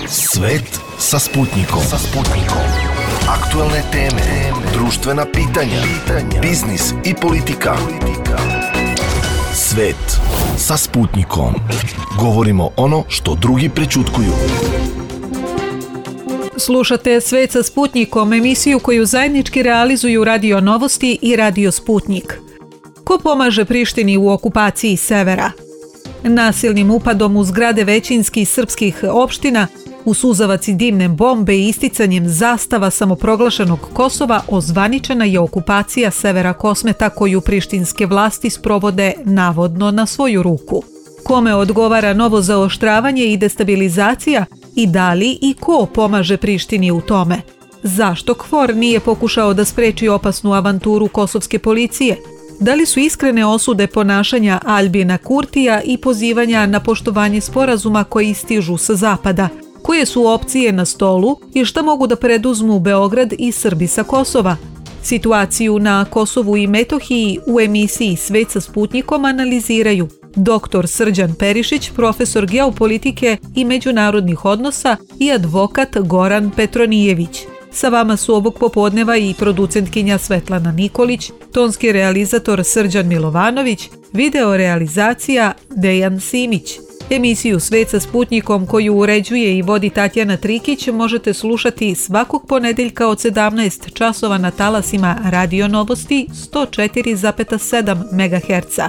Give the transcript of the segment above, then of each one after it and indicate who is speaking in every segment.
Speaker 1: Svet sa Sputnikom. Aktualne teme, društvena pitanja, biznis i politika. Svet sa Sputnikom. Govorimo ono što drugi prećutkuju.
Speaker 2: Slušate Svet sa Sputnikom, emisiju koju zajednički realizuju Radio Novosti i Radio Sputnik. Ko pomaže Prištini u okupaciji severa? Nasilnim upadom u zgrade većinskih srpskih opština, u suzavac i dimne bombe i isticanjem zastava samoproglašenog Kosova ozvaničena je okupacija severa Kosmeta koju prištinske vlasti sprovode navodno na svoju ruku. Kome odgovara novo zaoštravanje i destabilizacija i da li i ko pomaže Prištini u tome? Zašto KFOR nije pokušao da spreči opasnu avanturu kosovske policije? Da li su iskrene osude ponašanja Aljbina Kurtija i pozivanja na poštovanje sporazuma koji stižu sa zapada? Koje su opcije na stolu i šta mogu da preduzmu Beograd i Srbi sa Kosova? Situaciju na Kosovu i Metohiji u emisiji Svet sa Sputnikom analiziraju dr. Srđan Perišić, profesor geopolitike i međunarodnih odnosa i advokat Goran Petronijević. Sa vama su ovog popodneva i producentkinja Svetlana Nikolić, tonski realizator Srđan Milovanović, video realizacija Dejan Simić. Emisiju Svet sa Sputnikom koju uređuje i vodi Tatjana Trikić možete slušati svakog ponedeljka od 17 časova na talasima Radio Novosti 104,7 MHz.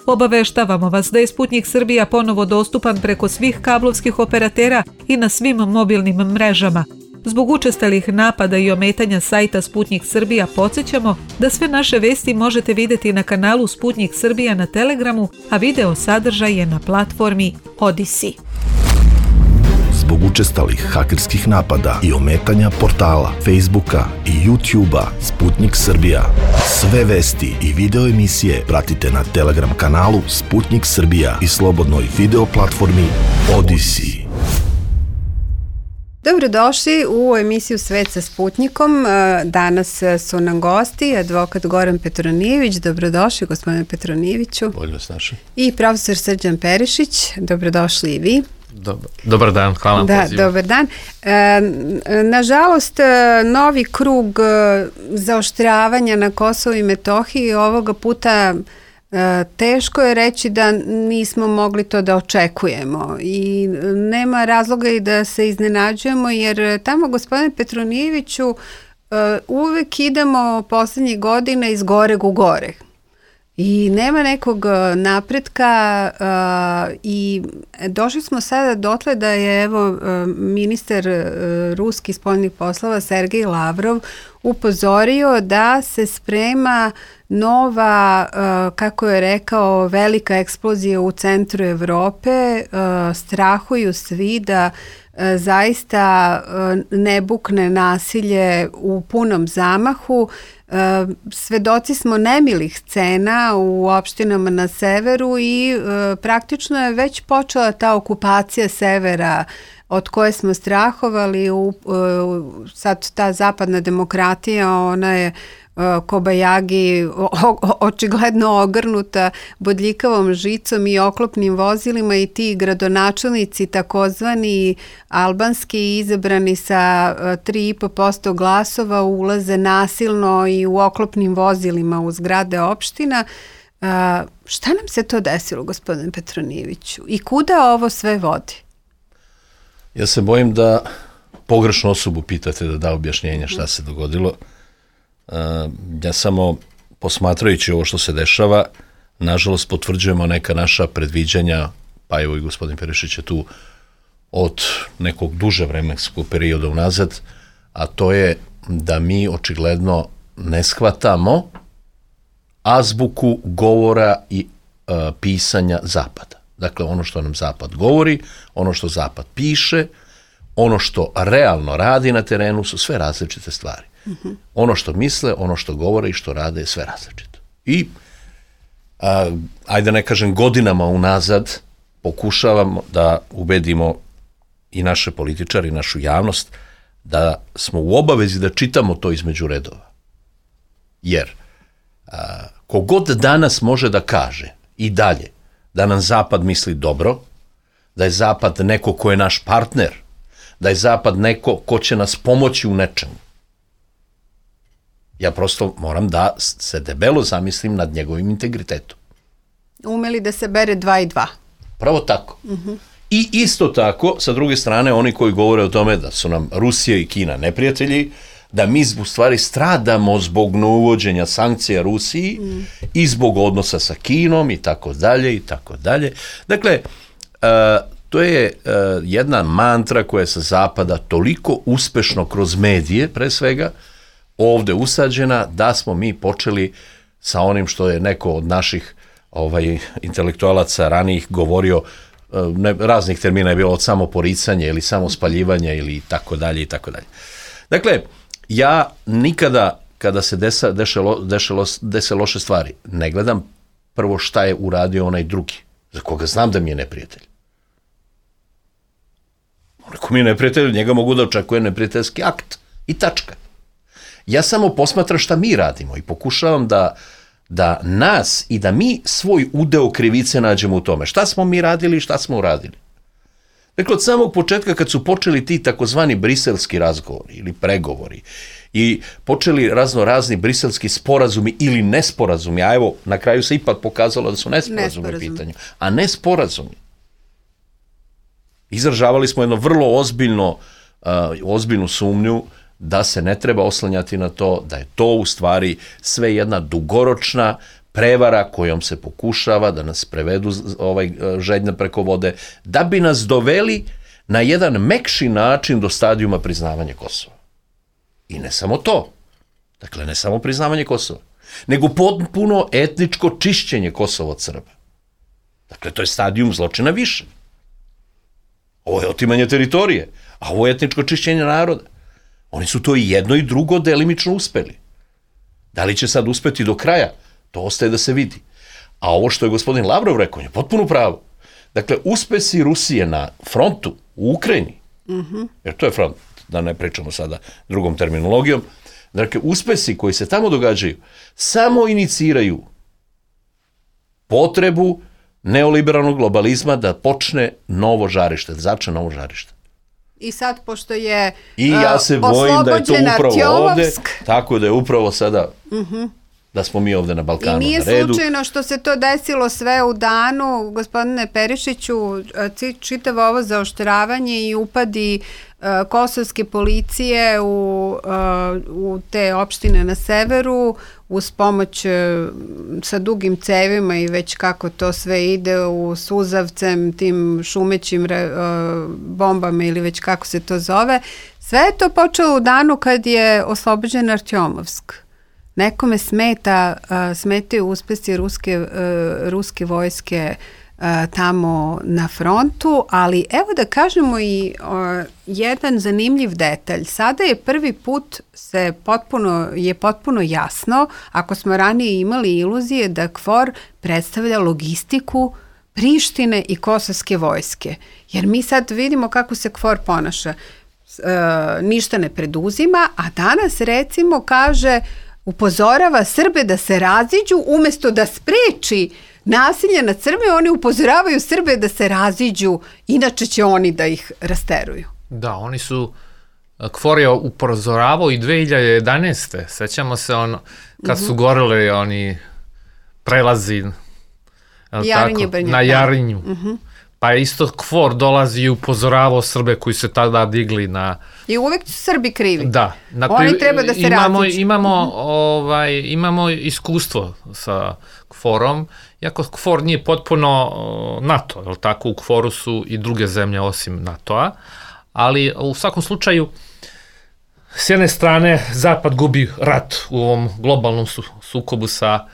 Speaker 2: Obaveštavamo vas da je Sputnik Srbija ponovo dostupan preko svih kablovskih operatera i na svim mobilnim mrežama. Zbog učestalih napada i ometanja sajta Sputnik Srbija podsjećamo da sve naše vesti možete vidjeti na kanalu Sputnik Srbija na Telegramu, a video sadržaj je na platformi Odisi.
Speaker 1: Zbog učestalih hakerskih napada i ometanja portala, Facebooka i YouTubea Sputnik Srbija. Sve vesti i video emisije pratite na Telegram kanalu Sputnik Srbija i slobodnoj video platformi Odisi.
Speaker 3: Dobrodošli u emisiju Svet sa Sputnikom. Danas su nam gosti advokat Goran Petronijević. Dobrodošli, gospodine Petronijeviću.
Speaker 4: Bolje vas našli.
Speaker 3: I profesor Srđan Perišić. Dobrodošli i vi.
Speaker 4: Dobar dan, hvala na pozivu.
Speaker 3: Dobar dan. Nažalost, novi krug zaoštravanja na Kosovu i Metohiji ovoga puta teško je reći da nismo mogli to da očekujemo i nema razloga i da se iznenađujemo jer tamo, gospodine Petronijeviću, uvek idemo poslednjih godina iz goreg u gore i nema nekog napretka i došli smo sada dotle da je evo ministar ruskih spoljnih poslova Sergej Lavrov upozorio da se sprema nova, kako je rekao, velika eksplozija u centru Evrope. Strahuju svi da zaista ne bukne nasilje u punom zamahu. Svedoci smo nemilih scena u opštinama na severu i praktično je već počela ta okupacija severa od koje smo strahovali. Sad ta zapadna demokratija, ona je kobajagi očigledno ogrnuta bodljikavom žicom i oklopnim vozilima i ti gradonačelnici takozvani albanski izabrani sa 3,5% glasova ulaze nasilno i u oklopnim vozilima u zgrade opština. Šta nam se to desilo, gospodine Petronijeviću? I kuda ovo sve vodi?
Speaker 4: Ja se bojim da pogrešnu osobu pitate da da objašnjenje šta se dogodilo. Ja samo posmatrajući ovo što se dešava, nažalost potvrđujemo neka naša predviđanja, pa evo i gospodin Perišić je tu od nekog duže vremenskog perioda unazad, a to je da mi očigledno ne shvatamo azbuku govora i pisanja Zapada. Dakle, ono što nam Zapad govori, ono što Zapad piše, ono što realno radi na terenu su sve različite stvari. Ono što misle, ono što govore i što rade je sve različito. I, ajde ne kažem godinama unazad, pokušavamo da ubedimo i naše političare i našu javnost da smo u obavezi da čitamo to između redova. Jer kogod danas može da kaže i dalje da nam Zapad misli dobro, da je Zapad neko ko je naš partner, da je Zapad neko ko će nas pomoći u nečemu. Ja prosto moram da se debelo zamislim nad njegovim integritetom.
Speaker 3: Umeli da se bere 2 i 2.
Speaker 4: Pravo tako. I isto tako, sa druge strane, oni koji govore o tome da su nam Rusija i Kina neprijatelji, da mi u stvari stradamo zbog neuvođenja sankcija Rusiji i zbog odnosa sa Kinom i tako dalje i tako dalje. Dakle, to je jedna mantra koja je sa zapada toliko uspešno kroz medije, pre svega, ovde usađena, da smo mi počeli sa onim što je neko od naših intelektualaca ranijih govorio, raznih termina je bilo od samoporicanja ili samospaljivanja ili tako dalje i tako dalje. Dakle, ja nikada kada se dese loše stvari, ne gledam prvo šta je uradio onaj drugi, za koga znam da mi je neprijatelj. Ako mi je neprijatelj, njega mogu da očekuje neprijateljski akt i tačka. Ja samo posmatram šta mi radimo i pokušavam da nas i da mi svoj udeo krivice nađemo u tome. Šta smo mi radili i šta smo uradili. Dakle, od samog početka kad su počeli ti takozvani briselski razgovori ili pregovori i počeli razni briselski sporazumi ili nesporazumi, a evo, na kraju se ipak pokazalo da su nesporazumi u pitanju, a ne sporazumi. Izražavali smo jedno vrlo ozbiljnu sumnju da se ne treba oslanjati na to, da je to u stvari sve jedna dugoročna prevara kojom se pokušava da nas prevedu žednja preko vode, da bi nas doveli na jedan mekši način do stadijuma priznavanja Kosova. I ne samo to, dakle ne samo priznavanje Kosova, nego potpuno etničko čišćenje Kosova od Srba. Dakle, to je stadijum zločina više. Ovo je otimanje teritorije, a ovo je etničko čišćenje naroda. Oni su to i jedno i drugo delimično uspeli. Da li će sad uspeti do kraja? To ostaje da se vidi. A ovo što je gospodin Lavrov rekao, je potpuno pravo. Dakle, uspesi Rusije na frontu u Ukrajini, jer to je front, da ne pričamo sada drugom terminologijom, dakle, uspesi koji se tamo događaju samo iniciraju potrebu neoliberalnog globalizma da počne novo žarište, da začne novo žarište.
Speaker 3: I sad, pošto je
Speaker 4: I ja se bojim da je to upravo ovde, tako da je upravo sada da smo mi ovde na Balkanu na redu.
Speaker 3: I nije slučajno što se to desilo sve u danu, gospodine Perišiću, čitavo ovo zaoštravanje i upadi kosovske policije u te opštine na severu uz pomoć sa dugim cevima i već kako to sve ide u suzavcem, tim šumećim bombama ili već kako se to zove. Sve je to počelo u danu kad je oslobođen Artjomovsk. Nekome smetaju uspesi ruske vojske tamo na frontu, ali evo da kažemo i jedan zanimljiv detalj. Sada je prvi put potpuno jasno, ako smo ranije imali iluzije da KFOR predstavlja logistiku Prištine i kosovske vojske. Jer mi sad vidimo kako se KFOR ponaša. Ništa ne preduzima, a danas recimo kaže, upozorava Srbe da se raziđu umesto da spreči nasilje nad Srbe, oni upozoravaju Srbe da se raziđu, inače će oni da ih rasteruju.
Speaker 5: Da, oni su, KFOR je upozoravao i 2011. Sećamo se kad su goreli oni prelazi na Jarinju. Pa isto KFOR dolazi i upozoravao Srbe koji se tada digli na...
Speaker 3: I uvek su Srbi krivi.
Speaker 5: Da.
Speaker 3: Oni treba da se raziđu.
Speaker 5: Imamo iskustvo sa KFOR-om, iako KFOR nije potpuno NATO, je li tako? U KFOR-u su i druge zemlje osim NATO-a, ali u svakom slučaju s jedne strane Zapad gubi rat u ovom globalnom sukobu sa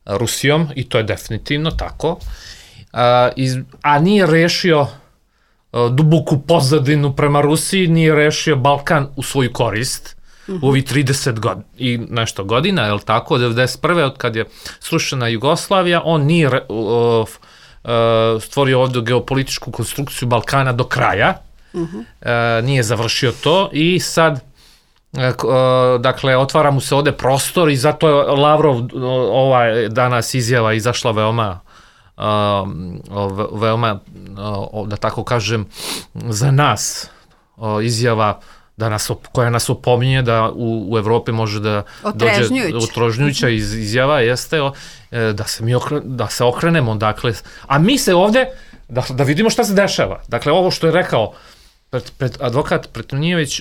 Speaker 5: Rusijom i to je definitivno tako, a nije rešio duboku pozadinu prema Rusiji, nije rešio Balkan u svoju korist u ovih 30 i nešto godina, je li tako, od 1991. od kad je srušena Jugoslavija, on nije stvorio ovdje geopolitičku konstrukciju Balkana do kraja, nije završio to i sad dakle, otvara mu se ovde prostor i zato je Lavrov danas izjava izašla veoma, da tako kažem, za nas izjava koja nas opominje da u Evropi može da dođe otrežnjujuća izjava jeste da se okrenemo, dakle, a mi se ovde da vidimo šta se dešava. Dakle, ovo što je rekao advokat Petronijević,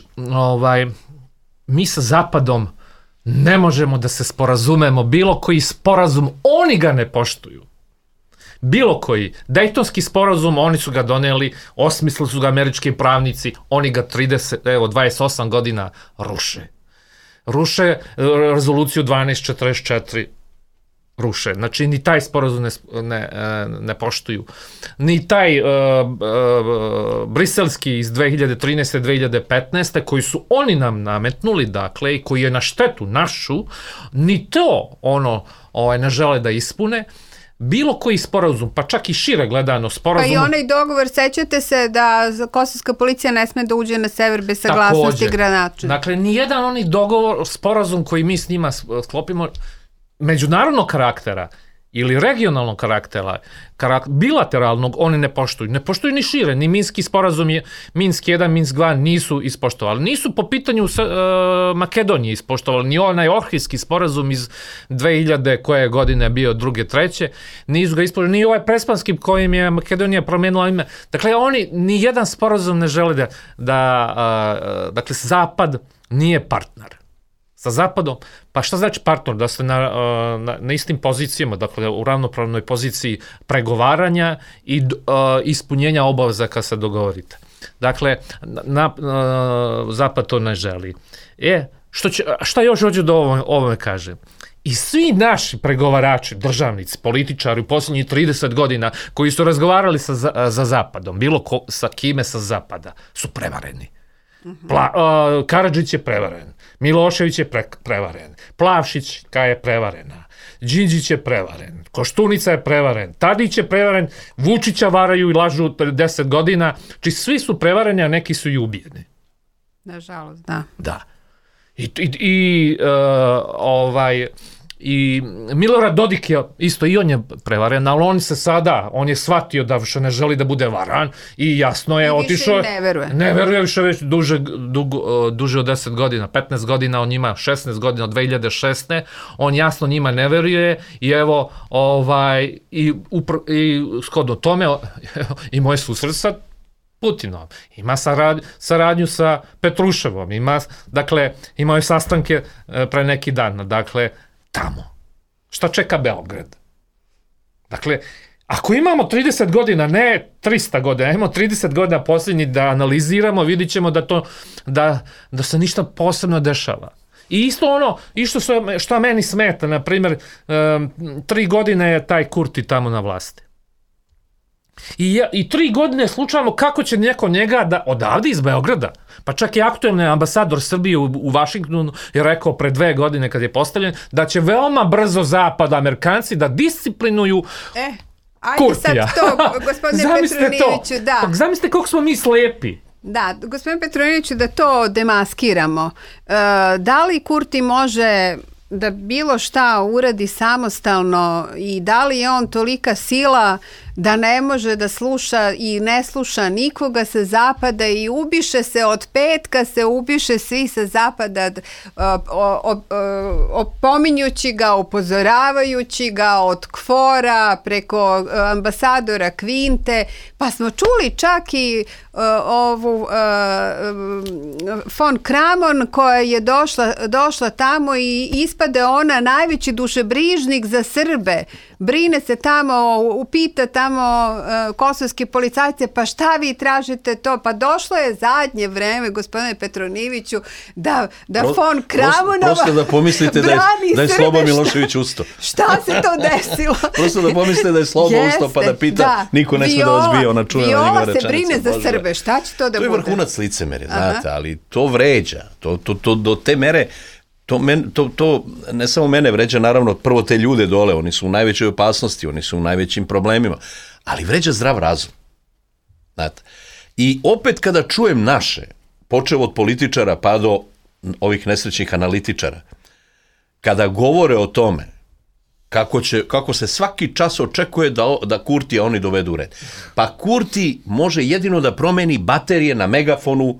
Speaker 5: mi sa Zapadom ne možemo da se sporazumemo, bilo koji sporazum, oni ga ne poštuju. Bilo koji. Dejtonski sporazum, oni su ga doneli, osmislili su ga američki pravnici, oni ga 28 godina ruše. Ruše rezoluciju 1244, ruše. Znači, ni taj sporazum ne poštuju. Ni taj briselski iz 2013. 2015. koji su oni nam nametnuli, dakle, i koji je na štetu našu, ni to ne žele da ispune. Bilo koji sporazum, pa čak i šire gledano sporazum.
Speaker 3: Pa i onaj dogovor, sećate se da kosovska policija ne sme da uđe na sever bez saglasnosti Granača.
Speaker 5: Dakle, nijedan onaj dogovor, sporazum koji mi s njima sklopimo, međunarodnog karaktera ili regionalnog karaktera, bilateralnog, oni ne poštuju. Ne poštuju ni šire, ni Minski sporazum je, Minsk 1, Minsk 2 nisu ispoštovali. Nisu po pitanju Makedonije ispoštovali, ni onaj Ohridski sporazum iz 2000 koje godine bio druge, treće, nisu ga ispoštovali, ni ovaj Prespanski kojim je Makedonija promenila ime. Dakle, oni ni jedan sporazum ne žele dakle, Zapad nije partner. Sa Zapadom, pa šta znači partner? Da ste na istim pozicijama, dakle u ravnopravnoj poziciji pregovaranja i ispunjenja obaveza kad se dogovorite. Dakle, Zapad to ne želi. Šta još hoću da ovome kažem? I svi naši pregovarači, državnici, političari u posljednjih 30 godina koji su razgovarali za Zapadom, bilo sa kime sa Zapada, su prevareni. Karadžić je prevaren, Milošević je prevaren, Plavšićka je prevarena, Đinđić je prevaren, Koštunica je prevaren, Tadić je prevaren, Vučića varaju i lažu 10 godina, či svi su prevareni, a neki su i ubijeni.
Speaker 3: Nažalost, da.
Speaker 5: Da. I Milorad Dodik je isto, i on je prevaren, ali on je shvatio da više ne želi da bude varan i jasno je otišao.
Speaker 3: I više ne veruje.
Speaker 5: Ne veruje više već duže od 10 godina, 15 godina, on ima 16 godina od 2006. On jasno njima ne veruje i evo, i shodno tome i moj susret sa Putinom, ima saradnju sa Petruševom, imao je sastanke pre neki dan, dakle, tamo. Šta čeka Beograd? Dakle, ako imamo 30 godina, ne 300 godina, imamo 30 godina posljednji da analiziramo, vidit ćemo da se ništa posebno dešava. I isto što meni smeta, na primjer, 3 godine je taj Kurti tamo na vlasti. I 3 godine slučajamo kako će neko njega da odavde iz Beograda, pa čak i aktuelni ambasador Srbije u Vašingtonu je rekao pre 2 godine kad je postavljen da će veoma brzo Zapad, Amerikanci da disciplinuju Kurtija.
Speaker 3: Ajde sad to, gospodine Petronijeviću, da.
Speaker 5: Zamislite koliko smo mi slepi.
Speaker 3: Da, gospodine Petronijeviću, da to demaskiramo. Da li Kurti može da bilo šta uradi samostalno i da li je on tolika sila da ne može da sluša i ne sluša nikoga sa zapada i ubiše se od petka, se ubiše svi sa zapada opominjući ga, upozoravajući ga od KFOR-a preko ambasadora Kvinte, pa smo čuli čak i ovu von Kramon koja je došla tamo i ispade ona najveći dušebrižnik za Srbe. Brine se tamo, upita tamo kosovske policajce, pa šta vi tražite to? Pa došlo je zadnje vreme, gospodine Petronijeviću, da von Kramonova
Speaker 4: prosto da pomislite da je Slobo Milošević ustao.
Speaker 3: Šta se to desilo?
Speaker 4: Prosto da pomislite da je Slobo ustao pa da pita, niko ne sme da vas bije, ona čuje na njegove rečenice.
Speaker 3: Viola se brine za Srbe, šta će to da bude?
Speaker 4: To je vrhunac licemerja, znate, ali to vređa, to do te mere. To ne samo mene vređa, naravno, prvo te ljude dole, oni su u najvećoj opasnosti, oni su u najvećim problemima, ali vređa zdrav razum. Znate. I opet kada čujem naše, počev od političara pa do ovih nesrećnih analitičara, kada govore o tome kako se svaki čas očekuje da Kurtija oni dovedu u red. Pa Kurti može jedino da promeni baterije na megafonu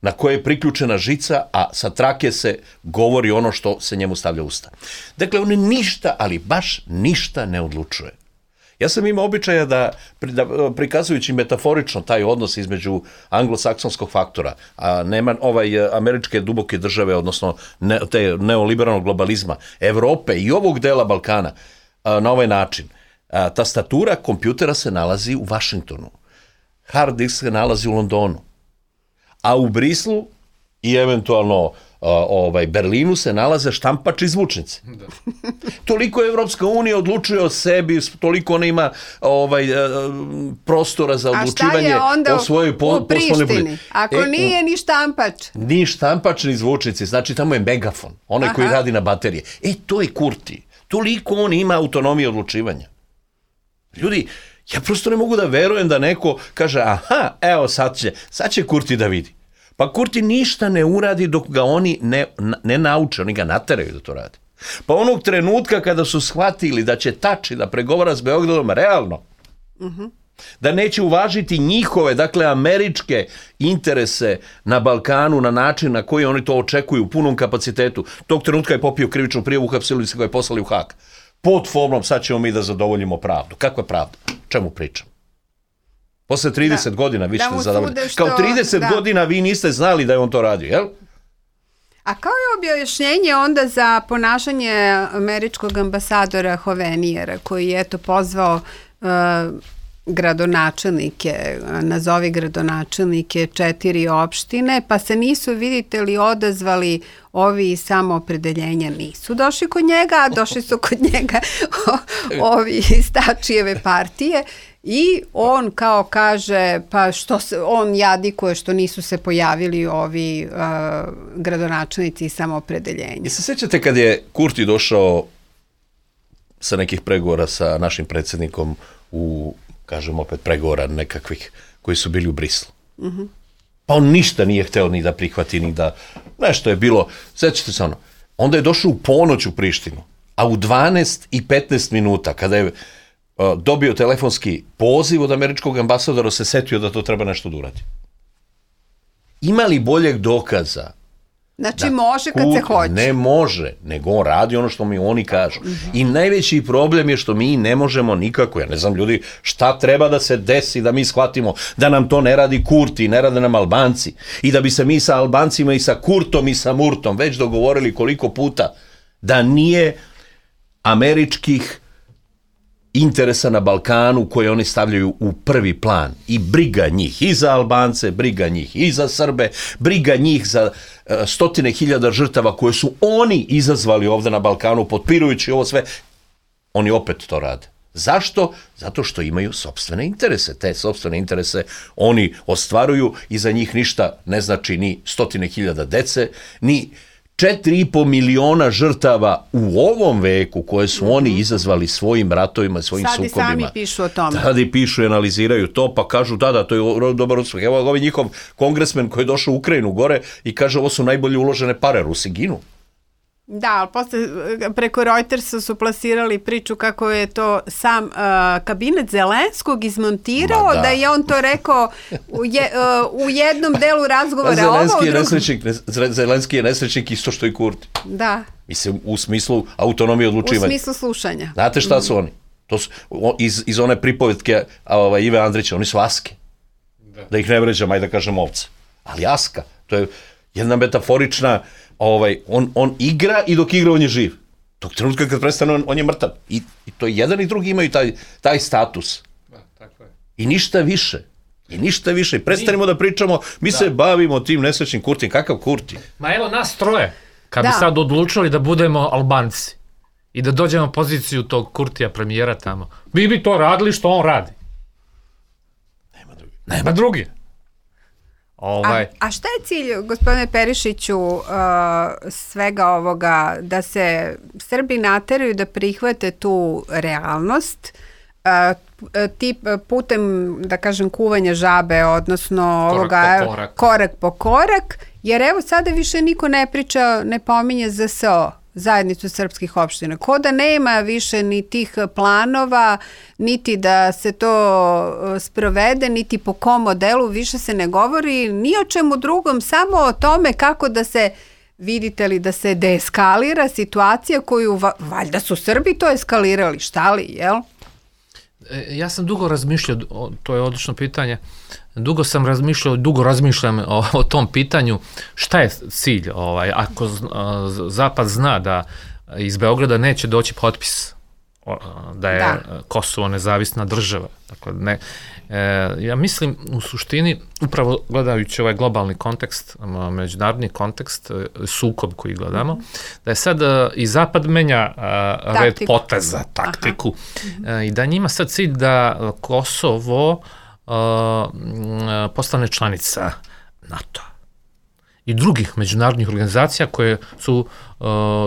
Speaker 4: na koje je priključena žica, a sa trake se govori ono što se njemu stavlja u usta. Dakle, on ništa, ali baš ništa ne odlučuje. Ja sam imao običaja da prikazujući metaforično taj odnos između anglosaksonskog faktora, a američke duboke države, odnosno te neoliberalnog globalizma, Evrope i ovog dela Balkana, na ovaj način. Tastatura kompjutera se nalazi u Vašingtonu, hard disk se nalazi u Londonu, a u Brislu i eventualno Berlinu se nalaze štampač i zvučnici. Toliko Evropska unija odlučuje o sebi, toliko ona ima prostora za odlučivanje o svojoj poslovnoj
Speaker 3: politici. U Prištini? Ako nije ni štampač.
Speaker 4: Ni štampač, ni zvučnici, znači tamo je megafon, onaj koji radi na baterije. To je Kurti. Toliko on ima autonomije odlučivanja. Ljudi, ja prosto ne mogu da verujem da neko kaže, evo sad će Kurti da vidi. Pa Kurti ništa ne uradi dok ga oni ne nauče, oni ga nateraju da to radi. Pa onog trenutka kada su shvatili da će Tači da pregovara s Beogradom realno, da neće uvažiti njihove, dakle američke interese na Balkanu na način na koji oni to očekuju u punom kapacitetu, tog trenutka je popio krivičnu prijavu, uhapsili se ga je poslali u Hag. Pod formom sad ćemo mi da zadovoljimo pravdu. Kakva pravda? Čemu pričam? Posle 30 godina vi ćete zadovoljiti. Kao 30 godina vi niste znali da je on to radio, jel?
Speaker 3: A kao je objašnjenje onda za ponašanje američkog ambasadora Hovenijera, koji je pozvao gradonačelnike, nazovi gradonačelnike 4 opštine, pa se nisu, vidite li, odazvali ovi samoopredeljenja, nisu došli kod njega, a došli su kod njega ovi iz Tačijeve partije. I on kao kaže, pa što se, on jadikuje što nisu se pojavili ovi gradonačelnici samoopredeljenja.
Speaker 4: I se sjećate kad je Kurti došao sa nekih pregovora sa našim predsjednikom u, kažem opet, pregovora nekakvih koji su bili u Brislu. Pa on ništa nije hteo ni da prihvati, ni da, nešto je bilo, sjećate se ono, onda je došao u ponoć u Prištinu, a u 12:15 minuta, kada je dobio telefonski poziv od američkog ambasadora, se setio da to treba nešto da uradi. Ima li boljeg dokaza?
Speaker 3: Znači može kad se hoće.
Speaker 4: Ne može, nego on radi ono što mi oni kažu. I najveći problem je što mi ne možemo nikako, ja ne znam ljudi, šta treba da se desi da mi shvatimo da nam to ne radi Kurti, ne rade nam Albanci. I da bi se mi sa Albancima i sa Kurtom i sa Murtom već dogovorili koliko puta da nije američkih interesa na Balkanu koje oni stavljaju u prvi plan i briga njih i za Albance, briga njih i za Srbe, briga njih za 100.000 žrtava koje su oni izazvali ovde na Balkanu potpirujući ovo sve, oni opet to rade. Zašto? Zato što imaju sopstvene interese. Te sopstvene interese oni ostvaruju i za njih ništa ne znači ni 100.000 dece, ni 4,5 miliona žrtava u ovom veku koje su oni izazvali svojim ratovima, svojim sukobima.
Speaker 3: Sad i sami pišu o tome.
Speaker 4: Sad i pišu i analiziraju to, pa kažu da, to je dobar uspeh. Evo ovaj njihov kongresmen koji je došao u Ukrajinu gore i kaže ovo su najbolje uložene pare, Rusi ginu.
Speaker 3: Da, ali posle preko Reutersa su plasirali priču kako je to sam kabinet Zelenskog izmontirao, da je on to rekao u jednom delu razgovora.
Speaker 4: Zelenski je nesrećnik isto što i Kurti.
Speaker 3: Da.
Speaker 4: Mislim, u smislu autonomije odlučivanja.
Speaker 3: U smislu slušanja.
Speaker 4: Znate šta su oni? To su iz one pripovetke Ive Andrića, oni su aske. Da ih ne vređam, ajde da kažem ovce. Ali aska, to je jedna metaforična, on igra i dok igra on je živ. Tog trenutka kad prestane on je mrtav. I to jedan i drugi imaju taj status.
Speaker 5: Da, tako je.
Speaker 4: I ništa više. I prestanemo da pričamo, mi se bavimo tim nesrećnim Kurtijem. Kakav Kurti?
Speaker 5: Ma evo nas troje, kad bi sad odlučili da budemo Albanci i da dođemo u poziciju tog Kurtija premijera tamo, mi bi to radili što on radi. Nema drugi.
Speaker 3: A šta je cilj, gospodine Perišiću, svega ovoga, da se Srbi nateraju da prihvate tu realnost, putem, da kažem, kuvanja žabe, odnosno korak po korak, jer evo sada više niko ne priča, ne pominje ZSO zajednicu srpskih opština. Ko da nema više ni tih planova, niti da se to sprovede, niti po kom modelu, više se ne govori ni o čemu drugom, samo o tome kako da se, vidite li, da se deeskalira situacija koju, valjda su Srbi to eskalirali, šta li, jel?
Speaker 5: Ja sam dugo razmišljao, to je odlično pitanje, dugo razmišljam o tom pitanju, šta je cilj, ako Zapad zna da iz Beograda neće doći potpis da je Kosovo nezavisna država. Dakle, ja mislim u suštini, upravo gledajući ovaj globalni kontekst, međunarodni kontekst, sukob koji gledamo, da je sad i Zapad menja red poteza, taktiku, i da njima sad cilj da Kosovo postane članica NATO i drugih međunarodnih organizacija koje su,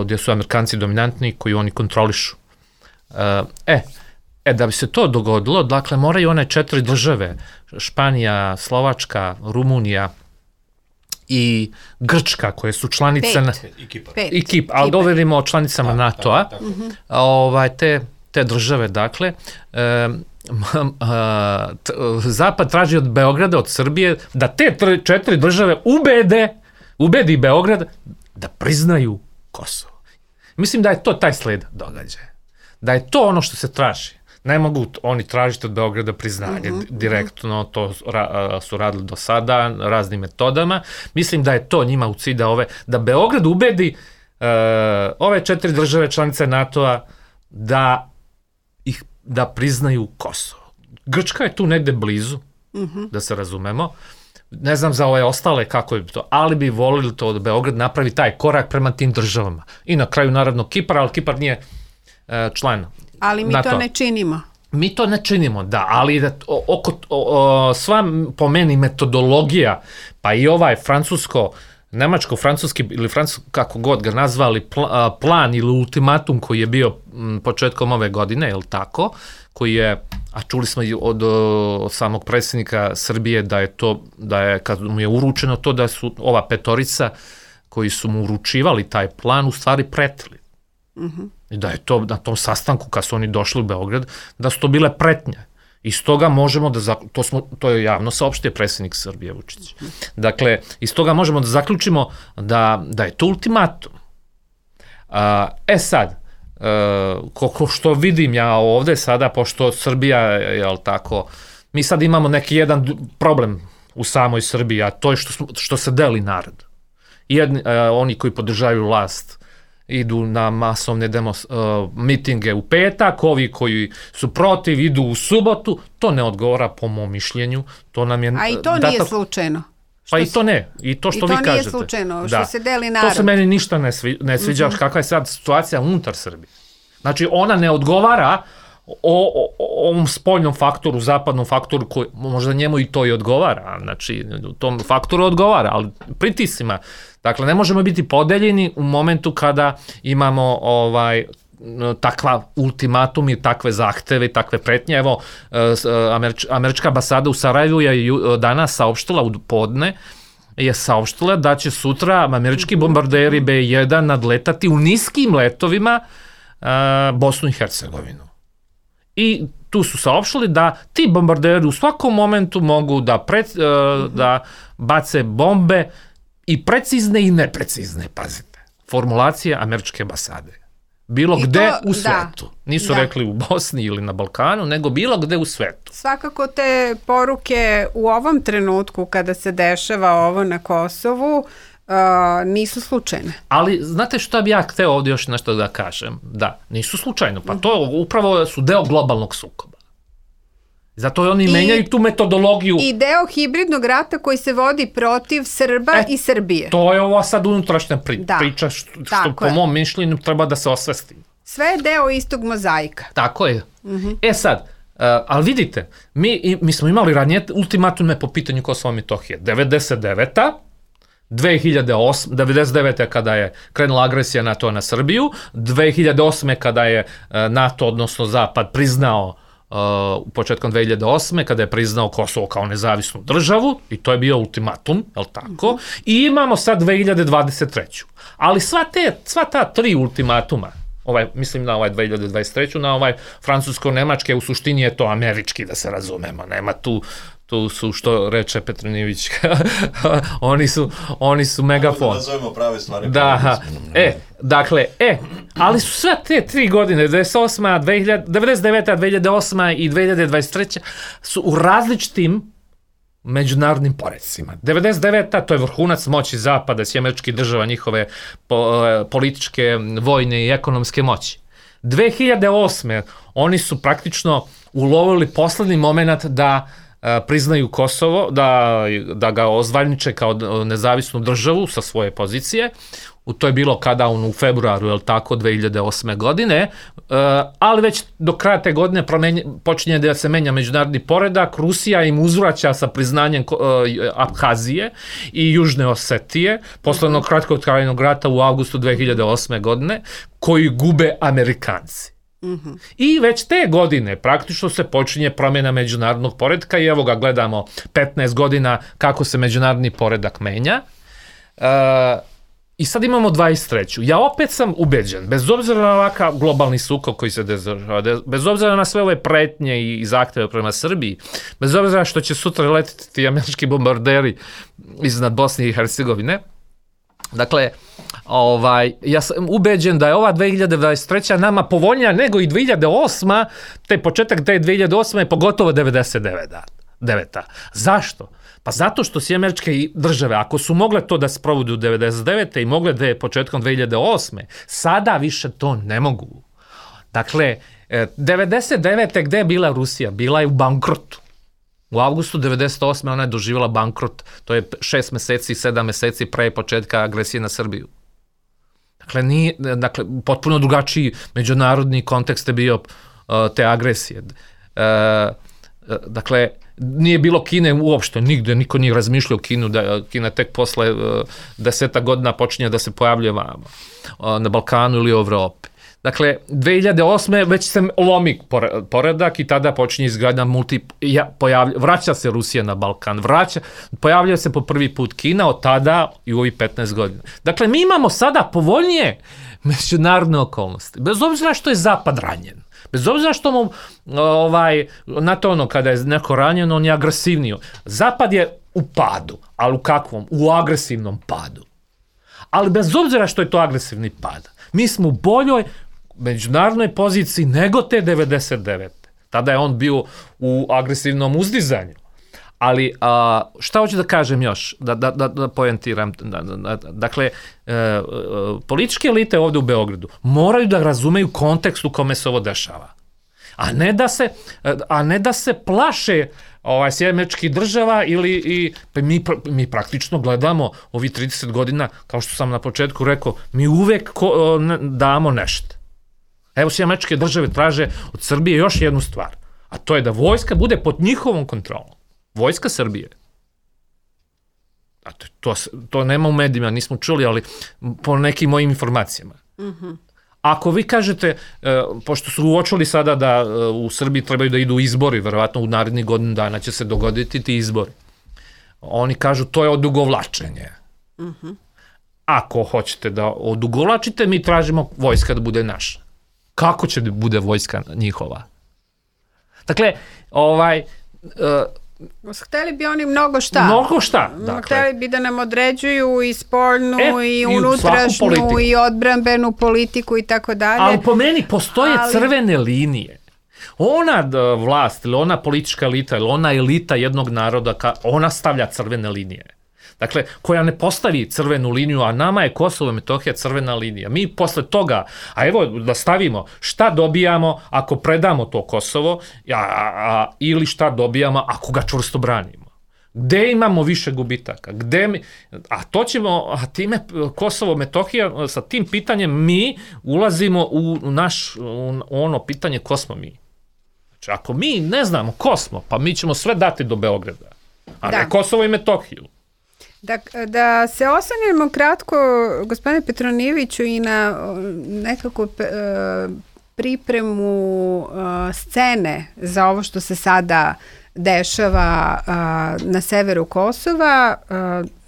Speaker 5: gdje su Amerikanci dominantni, koji oni kontrolišu. Da bi se to dogodilo, dakle, moraju one 4 države, Španija, Slovačka, Rumunija i Grčka, koje su članice... I Kipar, ali govorimo o članicama NATO-a. Te države, dakle, Zapad traži od Beograda, od Srbije, da te 4 države ubedi Beograd da priznaju Kosovo. Mislim da je to taj sled događaja. Da je to ono što se traži. Ne mogu oni tražiti od Beograda priznanje direktno, to su radili do sada raznim metodama. Mislim da je to njima u cilj da Beograd ubedi ove 4 države članice NATO-a da priznaju Kosovo. Grčka je tu negde blizu, da se razumemo. Ne znam za ove ostale kako je to, ali bi volili to da Beograd napravi taj korak prema tim državama. I na kraju naravno Kipar, ali Kipar nije član. Ali
Speaker 3: mi to ne činimo.
Speaker 5: Mi to ne činimo, da, ali sva po meni metodologija, pa i ovaj nemačko-francuski ili kako god ga nazvali, plan ili ultimatum koji je bio početkom ove godine, je li tako, koji je, a čuli smo od samog predsjednika Srbije da je kad mu je uručeno to, da su ova 5 koji su mu uručivali taj plan u stvari pretili. I da je to na tom sastanku kad su oni došli u Beograd, da su to bile pretnje. Iz toga možemo to je javno saopštio predsjednik Srbije Vučić. Dakle, iz toga možemo da zaključimo da je to ultimatum. Sad, što vidim ja ovde sada, pošto Srbija, jel tako, mi sad imamo neki jedan problem u samoj Srbiji, a to je što se deli narod. Oni koji podržavaju vlast idu na masovne mitinge u petak, ovi koji su protiv idu u subotu, to ne odgovara po mom mišljenju.
Speaker 3: A i to nije slučajno.
Speaker 5: Pa i to ne, i to što vi kažete.
Speaker 3: I to nije slučajno, što se deli narod.
Speaker 5: To se meni ništa ne sviđa, kakva je sad situacija unutar Srbije. Znači, ona ne odgovara ovom spoljnom faktoru, zapadnom faktoru, koji možda njemu i to i odgovara, znači, tom faktoru odgovara, ali pritiscima. Dakle, ne možemo biti podeljeni u momentu kada imamo takva ultimatum i takve zahteve i takve pretnje. Evo, američka ambasada u Sarajevu je danas saopštila u podne, je saopštila da će sutra američki bombarderi B-1 nadletati u niskim letovima Bosnu i Hercegovinu. I tu su saopštili da ti bombarderi u svakom momentu mogu da bace bombe i precizne i neprecizne, pazite. Formulacija američke ambasade. Bilo gde u svetu. Nisu rekli u Bosni ili na Balkanu, nego bilo gde u svetu.
Speaker 3: Svakako te poruke u ovom trenutku kada se dešava ovo na Kosovu nisu slučajne.
Speaker 5: Ali znate što bi ja hteo ovdje još nešto da kažem? Da, nisu slučajno. Pa to upravo su deo globalnog sukoba. Zato oni menjaju tu metodologiju.
Speaker 3: I deo hibridnog rata koji se vodi protiv Srba i Srbije.
Speaker 5: To je ovo sad unutrašnja priča što po mom mišljenju treba da se osvesti.
Speaker 3: Sve je deo istog mozaika.
Speaker 5: Tako je. Sad, ali vidite, mi smo imali ranije ultimatume po pitanju Kosova i Metohije. 99. 99. kada je krenula agresija NATO na Srbiju, 2008. kada je NATO, odnosno Zapad, priznao početkom 2008. kada je priznao Kosovo kao nezavisnu državu i to je bio ultimatum, je li tako? I imamo sad 2023. Ali sva ta 3 ultimatuma, mislim na 2023. na francusko-nemačke, u suštini je to američki, da se razumemo, nema tu su, što reče Petronijević, oni su megafon. Da
Speaker 4: nazovemo prave stvari.
Speaker 5: Da, ali su sve te 3 godine, 99. 2008. i 2023. su u različitim međunarodnim porecima. 99. to je vrhunac moći Zapada, Američkih država, njihove političke, vojne i ekonomske moći. 2008. oni su praktično ulovili poslednji moment da priznaju Kosovo, da ga ozvaniče kao nezavisnu državu sa svoje pozicije. To je bilo kada u februaru, je li tako, 2008. godine, ali već do kraja te godine počinje da se menja međunarodni poredak, Rusija im uzvraća sa priznanjem Abhazije i Južne Osetije, posle onog kratkotrajnog rata u avgustu 2008. godine, koji gube Amerikanci. I već te godine praktično se počinje promjena međunarodnog poredka i evo ga gledamo 15 godina kako se međunarodni poredak menja. I sad imamo 23. Ja opet sam ubeđen, bez obzira na ovakav globalni sukob koji se dešava, bez obzira na sve ove pretnje i zahteve prema Srbiji, bez obzira što će sutra letiti ti američki bombarderi iznad Bosne i Hercegovine, dakle, ja sam ubeđen da je ova 2023. nama povoljnija nego i 2008. Te početak te 2008. je pogotovo 99. Zašto? Pa zato što si američke države, ako su mogle to da se provode u 99. i mogle da je početkom 2008. sada više to ne mogu. Dakle, 99. gde je bila Rusija? Bila je u bankrotu. U avgustu 98. ona je doživjela bankrot, to je 6 meseci, 7 meseci pre početka agresije na Srbiju. Dakle, potpuno drugačiji međunarodni kontekst je bio te agresije. Dakle, nije bilo Kine uopšte, nigde, niko nije razmišljao Kinu, da Kina tek posle 10 godina počinje da se pojavljuje na Balkanu ili u Evropi. Dakle, 2008. već se lomi poredak i tada počinje izgradnja vraća se Rusija na Balkan, pojavlja se po prvi put Kina od tada i u ovih 15 godina. Dakle, mi imamo sada povoljnije međunarodne okolnosti, bez obzira što je Zapad ranjen. Bez obzira što mu, kada je neko ranjen, on je agresivniji. Zapad je u padu, ali u kakvom? U agresivnom padu. Ali bez obzira što je to agresivni pad, mi smo u boljoj međunarodnoj poziciji nego te 99. Tada je on bio u agresivnom uzdizanju. Ali šta hoću da kažem još, da poentiram, dakle, političke elite ovdje u Beogradu moraju da razumeju kontekst u kome se ovo dešava, a ne da se plaše Američkih država ili mi praktično gledamo ovi 30 godina, kao što sam na početku rekao, mi uvek damo nešto. Evo Američke države traže od Srbije još jednu stvar, a to je da vojska bude pod njihovom kontrolom. Vojska Srbije. To nema u medijima, nismo čuli, ali po nekim mojim informacijama. Ako vi kažete, pošto su uočili sada da u Srbiji trebaju da idu izbori, verovatno u narednih godinu dana će se dogoditi ti izbori. Oni kažu to je odugovlačenje. Ako hoćete da odugovlačite, mi tražimo vojska da bude naša. Kako će da bude vojska njihova? Dakle,
Speaker 3: hteli bi oni mnogo šta.
Speaker 5: Mnogo šta. Dakle.
Speaker 3: Hteli bi da nam određuju i spoljnu i unutrašnju i odbrambenu politiku i tako dalje.
Speaker 5: Ali po meni postoje crvene linije. Ona vlast ili ona politička elita ili ona elita jednog naroda, ona stavlja crvene linije. Dakle, koja ne postavi crvenu liniju, a nama je Kosovo i Metohija crvena linija. Mi posle toga, a evo da stavimo šta dobijamo ako predamo to Kosovo ili šta dobijamo ako ga čvrsto branimo. Gde imamo više gubitaka? A time Kosovo, Metohija, sa tim pitanjem mi ulazimo u ono pitanje ko smo mi. Znači, ako mi ne znamo ko smo, pa mi ćemo sve dati do Beograda, a ne Kosovo i Metohiju.
Speaker 3: Da se osvrnemo kratko, gospodine Petronijeviću, i na nekako pripremu scene za ovo što se sada dešava na severu Kosova,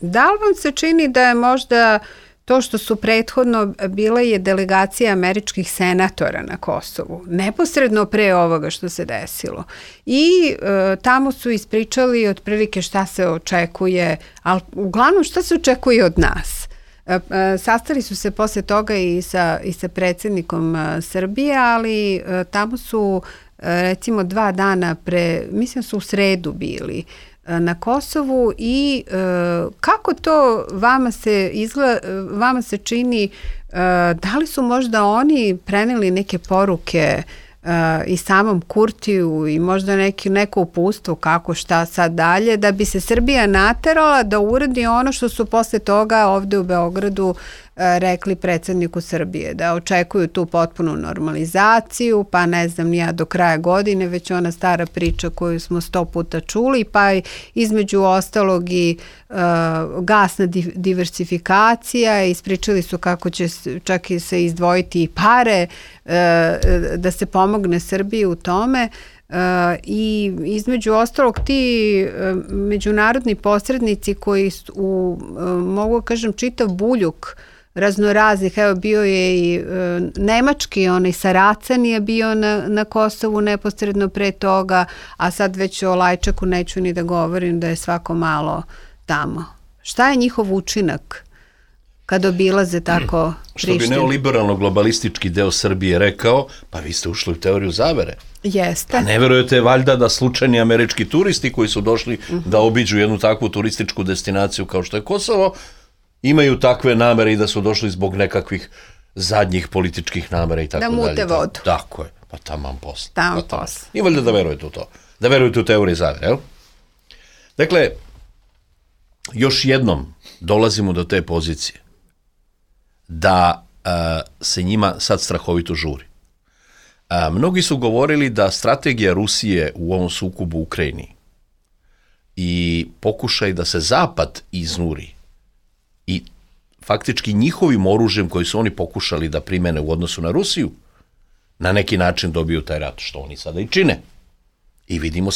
Speaker 3: da li vam se čini da je možda to što su prethodno bila je delegacija američkih senatora na Kosovu, neposredno pre ovoga što se desilo. I tamo su ispričali otprilike šta se očekuje, ali uglavnom šta se očekuje od nas. Sastali su se posle toga i sa predsjednikom Srbije, ali tamo su recimo 2 dana mislim su u sredu bili na Kosovu i kako to vama se čini, da li su možda oni preneli neke poruke i samom Kurtiju i možda neko uputstvo kako šta sad dalje, da bi se Srbija naterala da uradi ono što su posle toga ovde u Beogradu rekli predsjedniku Srbije, da očekuju tu potpunu normalizaciju, pa ne znam ja do kraja godine, već ona stara priča koju smo 100 puta čuli, pa između ostalog i gasna diversifikacija, ispričali su kako će čak i se izdvojiti i pare da se pomogne Srbiji u tome. I između ostalog ti međunarodni posrednici koji mogu kažem čitav buljuk raznoraznih, evo bio je i nemački, onaj Saracen je bio na Kosovu neposredno pre toga, a sad već o Lajčaku neću ni da govorim da je svako malo tamo. Šta je njihov učinak kad obilaze tako Prištinu?
Speaker 4: Što bi neoliberalno globalistički deo Srbije rekao, pa vi ste ušli u teoriju zavere.
Speaker 3: Jeste.
Speaker 4: A ne verujete valjda da slučajni američki turisti koji su došli da obiđu jednu takvu turističku destinaciju kao što je Kosovo, imaju takve namere i da su došli zbog nekakvih zadnjih političkih namera i tako dalje.
Speaker 3: Da mute vodu.
Speaker 4: Tako je, pa taman posle.
Speaker 3: Taman posle.
Speaker 4: I valjda da verujete u to. Da verujete u teoriju zavere, jel? Dakle, još jednom dolazimo do te pozicije da se njima sad strahovito žuri. Mnogi su govorili da strategija Rusije u ovom sukobu u Ukrajini i pokušaj da se Zapad iznuri i faktički njihovim oružjem koji su oni pokušali da primene u odnosu na Rusiju, na neki način dobiju taj rat, što oni sada i čine. I vidimo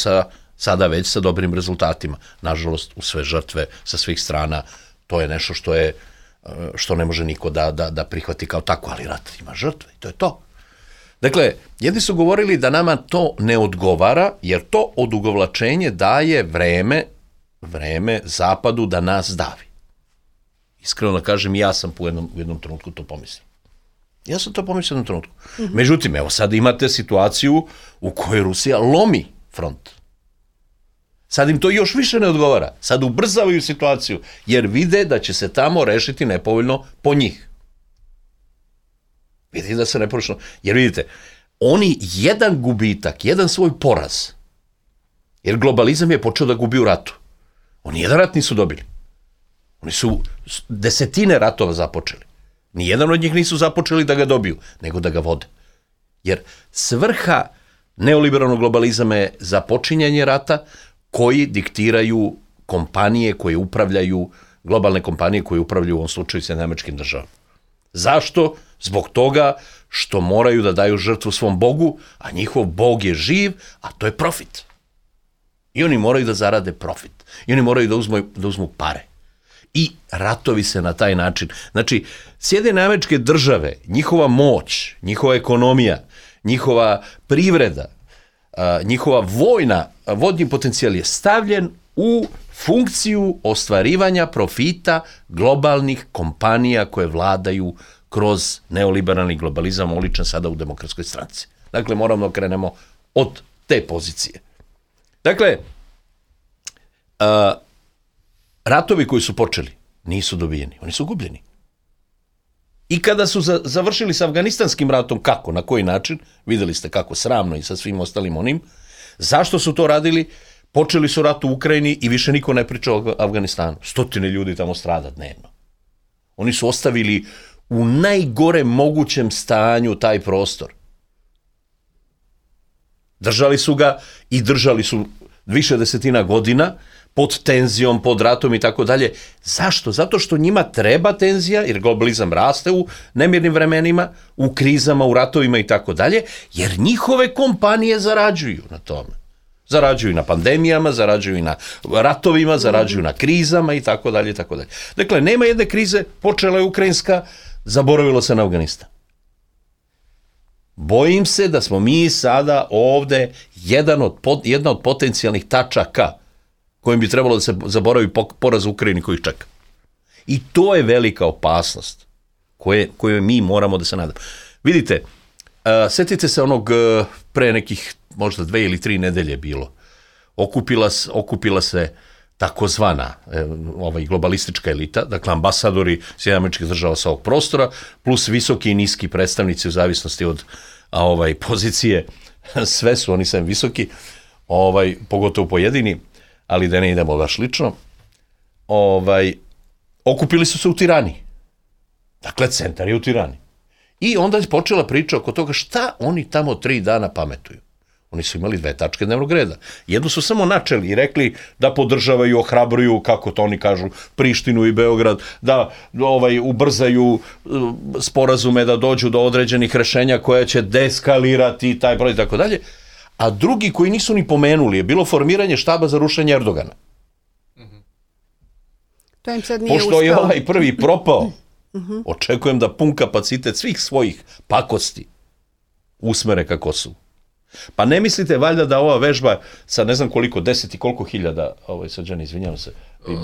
Speaker 4: sada već sa dobrim rezultatima. Nažalost, u sve žrtve sa svih strana, to je nešto što ne može niko da prihvati kao tako, ali rat ima žrtve i to je to. Dakle, jedni su govorili da nama to ne odgovara, jer to odugovlačenje daje vreme Zapadu da nas davi. Iskreno da kažem, ja sam u jednom trenutku to pomislio. Ja sam to pomislio u jednom trenutku. Međutim, evo sad imate situaciju u kojoj Rusija lomi front. Sad im to još više ne odgovara. Sad ubrzavaju situaciju, jer vide da će se tamo rešiti nepovoljno po njih. Vidite da se nepovoljno... Jer vidite, oni jedan gubitak, jedan svoj poraz, jer globalizam je počeo da gubi u ratu. Oni jedan rat nisu dobili. Oni su desetine ratova započeli. Nijedan od njih nisu započeli da ga dobiju, nego da ga vode. Jer svrha neoliberalnog globalizama je započinjanje rata koji diktiraju kompanije koje upravljaju, globalne kompanije koje upravljaju u ovom slučaju Sjedinjenim Američkim Državama. Zašto? Zbog toga što moraju da daju žrtvu svom Bogu, a njihov Bog je živ, a to je profit. I oni moraju da zarade profit. I oni moraju da uzmu pare. I ratovi se na taj način. Znači, Sjedinjene Američke Države, njihova moć, njihova ekonomija, njihova privreda, njihova vodni potencijal je stavljen u funkciju ostvarivanja profita globalnih kompanija koje vladaju kroz neoliberalni globalizam oličen sada u Demokratskoj stranci. Dakle, moramo da krenemo od te pozicije. Dakle, ratovi koji su počeli nisu dobijeni, oni su gubljeni. I kada su završili sa Afganistanskim ratom, kako, na koji način, videli ste kako sramno i sa svim ostalim onim, zašto su to radili? Počeli su rat u Ukrajini i više niko ne priča o Afganistanu. 100 ljudi tamo strada dnevno. Oni su ostavili u najgore mogućem stanju taj prostor. Držali su ga i držali su više desetina godina, pod tenzijom, pod ratom i tako dalje. Zašto? Zato što njima treba tenzija, jer globalizam raste u nemirnim vremenima, u krizama, u ratovima i tako dalje, jer njihove kompanije zarađuju na tome. Zarađuju na pandemijama, zarađuju na ratovima, zarađuju na krizama i tako dalje i tako dalje. Dakle, nema jedne krize, počela je ukrajinska, zaboravilo se na Afganistan. Bojim se da smo mi sada ovde jedna od potencijalnih tačaka kojim bi trebalo da se zaboravi poraz u Ukrajini koji čeka. I to je velika opasnost koje mi moramo da se nadamo. Vidite, setite se onog pre nekih možda 2 ili 3 nedelje bilo. Okupila se takozvana globalistička elita, dakle ambasadori Sjedinjenih Američkih Država sa ovog prostora, plus visoki i niski predstavnici u zavisnosti od pozicije, sve su oni sem visoki, pogotovo pojedini, ali da ne idemo baš lično, okupili su se u Tirani. Dakle, centar je u Tirani. I onda je počela priča oko toga šta oni tamo 3 dana pametuju. Oni su imali 2 tačke dnevnog reda. Jednu su samo načeli i rekli da podržavaju, ohrabruju, kako to oni kažu, Prištinu i Beograd, da ubrzaju sporazume, da dođu do određenih rešenja koja će deskalirati taj broj i tako dalje. A drugi koji nisu ni pomenuli je bilo formiranje štaba za rušenje Erdogana.
Speaker 3: To im sad nije uspeo.
Speaker 4: Pošto je ovaj prvi propao, očekujem da pun kapacitet svih svojih pakosti usmere ka Kosovu. Pa ne mislite valjda da ova vežba sa ne znam koliko, 10 i koliko hiljada, Srđan, izvinjavam se,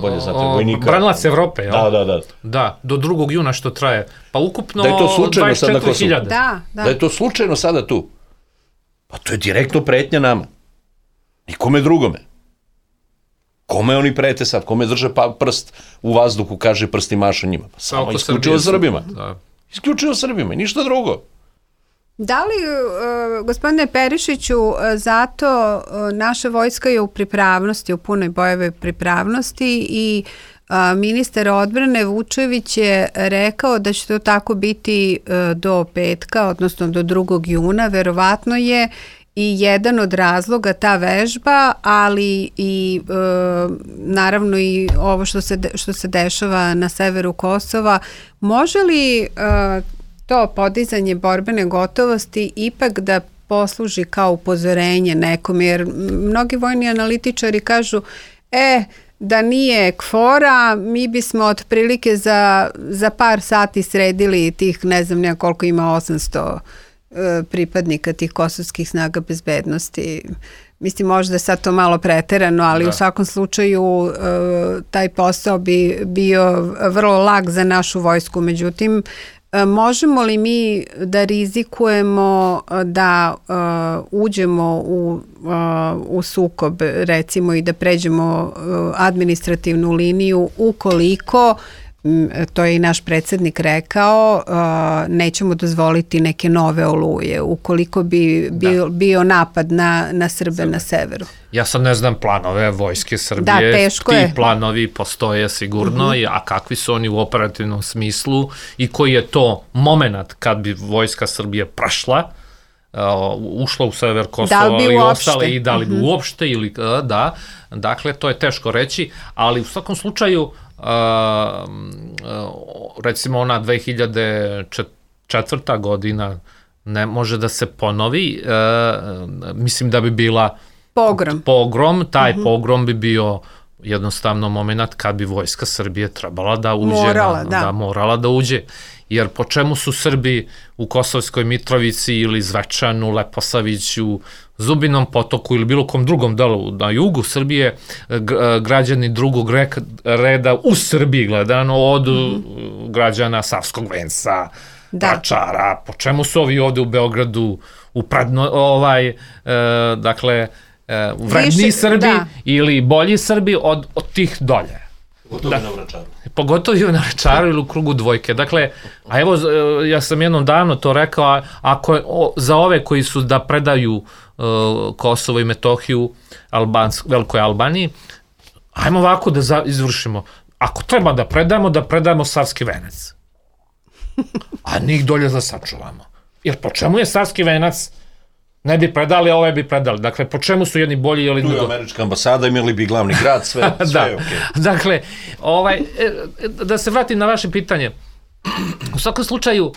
Speaker 4: bolje znate, vojnika.
Speaker 5: Branilac Evrope, jel?
Speaker 4: Da.
Speaker 5: Da, do 2. juna što traje. Pa ukupno
Speaker 4: 24.000.
Speaker 3: Da
Speaker 4: je to slučajno sada tu. Pa to je direktno pretnja nama. Nikome drugome. Kome oni prete sad? Kome drže prst u vazduhu, kaže prst i mašu njima? Pa samo isključivo Srbima. Isključivo Srbima i ništa drugo.
Speaker 3: Da li, gospodine Perišiću, zato naša vojska je u pripravnosti, u punoj bojevoj pripravnosti i ministar odbrane Vučević je rekao da će to tako biti do petka, odnosno do 2. juna. Verovatno je i jedan od razloga ta vežba, ali i naravno i ovo što se dešava na severu Kosova. Može li to podizanje borbene gotovosti ipak da posluži kao upozorenje nekom, jer mnogi vojni analitičari kažu da nije KFOR-a, mi bismo otprilike za par sati sredili tih, ne znam nema koliko ima, 800 pripadnika tih kosovskih snaga bezbednosti. Mislim, možda sad to malo preterano, ali u svakom slučaju taj posao bi bio vrlo lak za našu vojsku. Međutim, možemo li mi da rizikujemo da uđemo u sukob, recimo, i da pređemo administrativnu liniju ukoliko, to je i naš predsjednik rekao, nećemo dozvoliti neke nove oluje, ukoliko bi bio napad na Srbe na severu?
Speaker 5: Ja sad ne znam planove vojske Srbije, ti planovi postoje sigurno, a kakvi su oni u operativnom smislu i koji je to moment kad bi vojska Srbije prašla, ušla u sever Kosova i ostale, i da li bi uopšte ili da, dakle to je teško reći, ali u svakom slučaju recimo ona 2004. godina ne može da se ponovi, mislim da bi bila pogrom, taj pogrom bi bio jednostavno moment kad bi vojska Srbije trebala da uđe, morala da uđe, jer po čemu su Srbi u Kosovskoj Mitrovici ili Zvečanu, Leposaviću, Zubinom Potoku ili bilo kom drugom delu na jugu Srbije, građani drugog reda u Srbiji gledano od građana Savskog Venca, Vračara, po čemu su ovi ovde u Beogradu dakle vredni Srbi ili bolji Srbi od tih dolje. Pogotovo i na Vračaru ili u krugu dvojke. Dakle, a evo, ja sam jednom davno to rekao, ako za ove koji su da predaju Kosovo i Metohiju Velikoj Albaniji, ajmo ovako da izvršimo. Ako treba da predamo Savski Venac. A njih dolje da sačuvamo. Jer po čemu je Savski Venac Ne bi predali, ove bi predali. Dakle, po čemu su jedni bolji ili
Speaker 4: Tu je američka ambasada, imali bi glavni grad, sve je okej.
Speaker 5: Dakle, da se vratim na vaše pitanje. U svakom slučaju,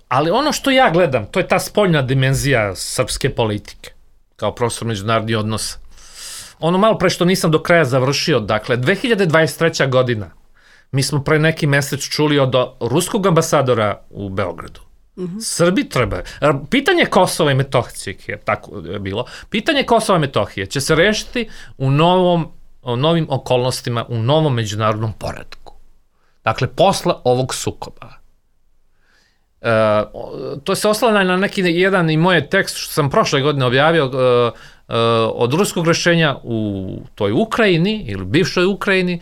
Speaker 5: ali ono što ja gledam, to je ta spoljna dimenzija srpske politike, kao profesor međunarodnih odnosa. Ono malo pre što nisam do kraja završio, dakle, 2023. godina, mi smo pre neki mesec čuli od ruskog ambasadora u Beogradu. Srbi treba. Pitanje Kosova i Metohije, tako je bilo, pitanje Kosova i Metohije će se rešiti u novim okolnostima, u novom međunarodnom poretku. Dakle, posle ovog sukoba. To se oslanja na neki jedan i moj tekst što sam prošle godine objavio od ruskog rešenja u toj Ukrajini ili bivšoj Ukrajini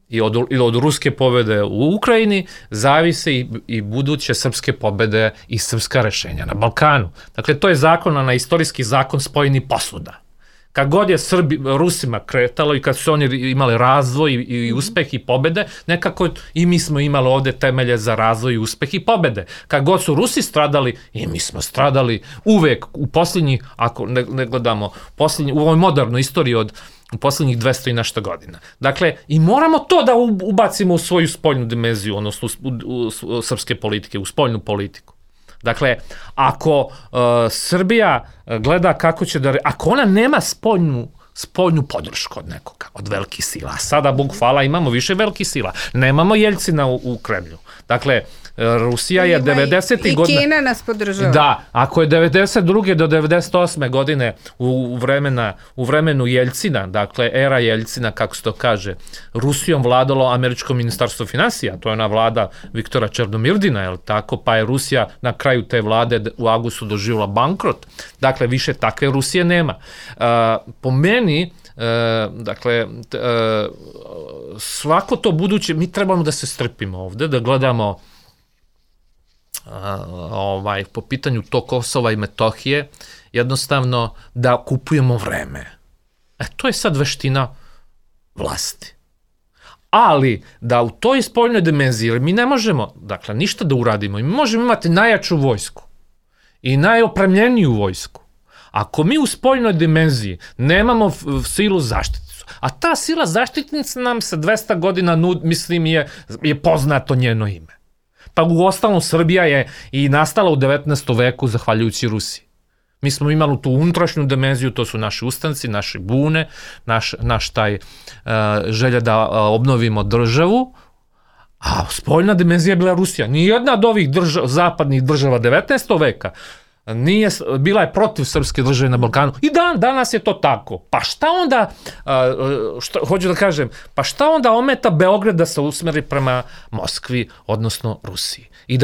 Speaker 5: ili od ruske pobede u Ukrajini zavise i buduće srpske pobede i srpska rešenja na Balkanu. Dakle, to je na istorijski zakon spojenih posuda. Kad god je Rusima kretalo i kad su oni imali razvoj i uspeh i pobede, nekako i mi smo imali ovde temelje za razvoj i uspeh i pobede. Kad god su Rusi stradali, i mi smo stradali uvek u posljednjih, ako ne gledamo, u ovoj modernoj istoriji u posljednjih 200 i nešto godina. Dakle, i moramo to da ubacimo u svoju spoljnu dimenziju, odnosno u srpske politike, u spoljnu politiku. Dakle, ako Srbija gleda kako će ako ona nema spoljnu podršku od nekoga, od velikih sila, a sada, Bog hvala, imamo više velikih sila, nemamo Jeljcina u Kremlju. Dakle, Rusija je 90. godina...
Speaker 3: I Kina nas podržava.
Speaker 5: Da, ako je 92. do 98. godine u vremenu Jeljcina, dakle, era Jeljcina, kako se to kaže, Rusijom vladalo američko ministarstvo finansija, to je ona vlada Viktora Černomirdina, je li tako, pa je Rusija na kraju te vlade u avgustu doživjela bankrot. Dakle, više takve Rusije nema. Po meni, dakle, svako to buduće, mi trebamo da se strpimo ovde, da gledamo po pitanju to Kosova i Metohije, jednostavno da kupujemo vreme. To je sad veština vlasti. Ali da u toj spoljnoj dimenziji, jer mi ne možemo, dakle, ništa da uradimo, mi možemo imati najjaču vojsku i najopremljeniju vojsku. Ako mi u spoljnoj dimenziji nemamo silu zaštitnicu, a ta sila zaštitnica nam se 200 godina, mislim, je poznato njeno ime. Pa u ostalom Srbija je i nastala u 19. veku zahvaljujući Rusiji. Mi smo imali tu unutrašnju dimenziju, to su naši ustanci, naše bune, naš taj želja da obnovimo državu, a spoljna dimenzija je bila Rusija. Nijedna od ovih zapadnih država 19. veka bila je protiv srpske države na Balkanu. I danas je to tako. Pa šta onda, hoću da kažem, pa šta onda ometa Beograd da se usmeri prema Moskvi, odnosno Rusiji? I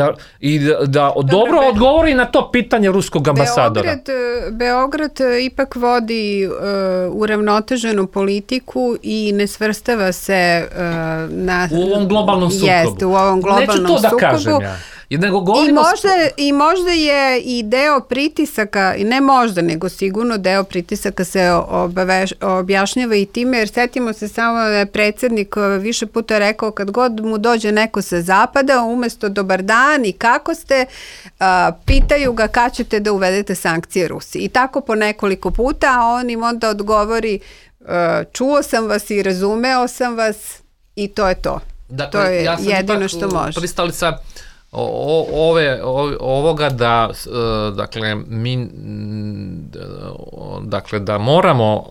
Speaker 5: da dobro odgovori na to pitanje ruskog ambasadora.
Speaker 3: Beograd ipak vodi uravnoteženu politiku i ne svrstava se
Speaker 5: u ovom globalnom sukobu.
Speaker 3: Jeste, u ovom globalnom
Speaker 5: sukobu. Neću to da kažem ja.
Speaker 3: I možda je i deo pritisaka, i ne možda, nego sigurno deo pritisaka se objašnjava i time, jer setimo se samo da je predsjednik više puta rekao kad god mu dođe neko sa zapada, umesto dobar dan i kako ste, pitaju ga kad ćete da uvedete sankcije Rusiji. I tako po nekoliko puta, a on im onda odgovori čuo sam vas i razumeo sam vas i to je to. Dakle, to je jedino što može.
Speaker 5: Pristalica ovoga da dakle da moramo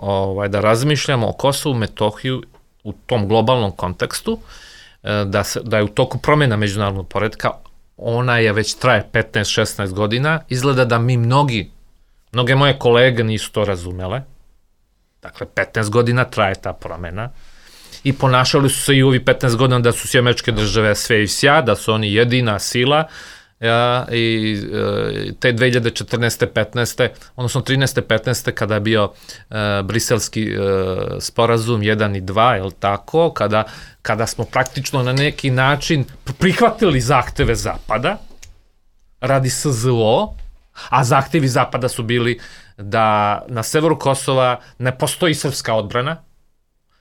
Speaker 5: da razmišljamo o Kosovu, Metohiju u tom globalnom kontekstu, da je u toku promjena međunarodnog poretka, ona je već traje 15-16 godina, izgleda da mi mnoge moje kolege nisu to razumele, dakle 15 godina traje ta promjena. I ponašali su se i u ovih 15 godina da su Američke države sve i sja, da su oni jedina sila i te 2014. 15. odnosno 13. 15. kada je bio briselski sporazum 1 i 2, je li tako, kada smo praktično na neki način prihvatili zahteve Zapada radi SZO, a zahtevi Zapada su bili da na severu Kosova ne postoji srpska odbrana,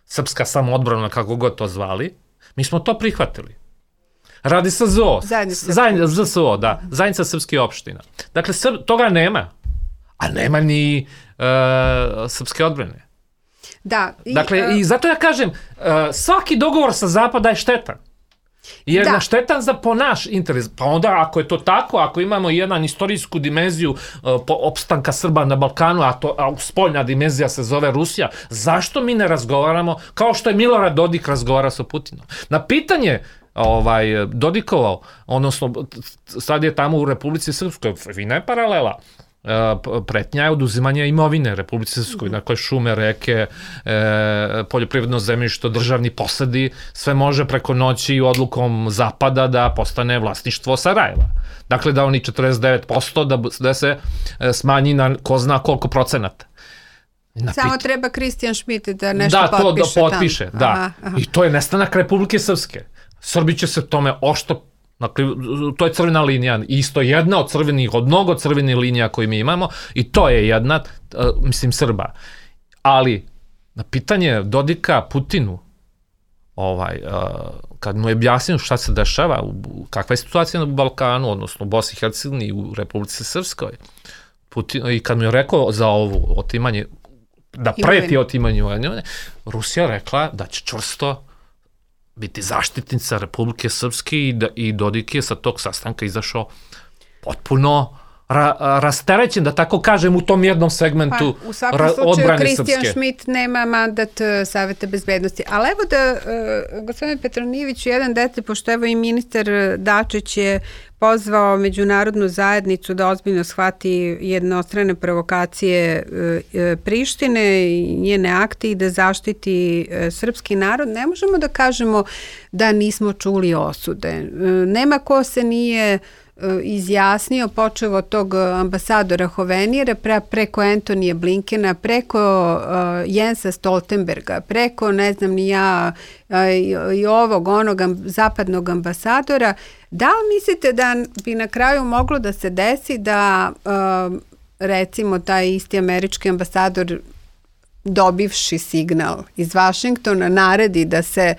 Speaker 5: srpska samoodbrana, kako god to zvali, mi smo to prihvatili. Radi SZO, zajednica srpskih opština. Dakle, toga nema. a nema ni srpske odbrane.
Speaker 3: Da.
Speaker 5: Dakle, i zato ja kažem, svaki dogovor sa Zapada je štetan. Jer na štetan po naš interes. Pa onda, ako je to tako, ako imamo jedan istorijsku dimenziju opstanka Srba na Balkanu, a spoljna dimenzija se zove Rusija, zašto mi ne razgovaramo kao što je Milorad Dodik razgovara sa Putinom? Na pitanje Dodikovo, odnosno sad je tamo u Republici Srpskoj, fina je paralela, pretnja je oduzimanje imovine Republici Srpskoj, dakle šume, reke, poljoprivredno zemljište, državni posedi, sve može preko noći odlukom Zapada da postane vlasništvo Sarajeva. Dakle, da oni 49% da se smanji na ko zna koliko procenata.
Speaker 3: Samo treba Kristijan Šmit da nešto potpiše
Speaker 5: tamo. Da, to potpiše, da. I to je nestanak Republike Srpske. Srbi će se tome ošto. Dakle, to je crvena linija, isto jedna od mnogo crvenih linija koje mi imamo i to je jedna, Srba. Ali, na pitanje Dodika Putinu, kad mu je objasnio šta se dešava, kakva je situacija na Balkanu, odnosno u Bosni i Hercegovini i u Republici Srpskoj, i kad mu je rekao za ovo otimanje, da preti otimanju, Rusija rekla da će čvrsto biti zaštitnica Republike Srpske i Dodik je sa tog sastanka izašao potpuno rasterećen, da tako kažem, u tom jednom segmentu odbrane Srpske.
Speaker 3: U svakom slučaju, Kristijan Šmit nema mandat Saveta bezbednosti. Ali evo da, gospodine Petronijeviću, jedan detalj, pošto evo i ministar Dačić je pozvao međunarodnu zajednicu da ozbiljno shvati jednostrane provokacije Prištine i njene akte i da zaštiti srpski narod. Ne možemo da kažemo da nismo čuli osude. Nema ko se nije izjasnio, počeo od tog ambasadora Hovenijera, preko Antonija Blinkena, preko Jensa Stoltenberga, preko, ne znam ni ja, i ovog, onog zapadnog ambasadora. Da li mislite da bi na kraju moglo da se desi da recimo taj isti američki ambasador, dobivši signal iz Vašingtona, naredi da se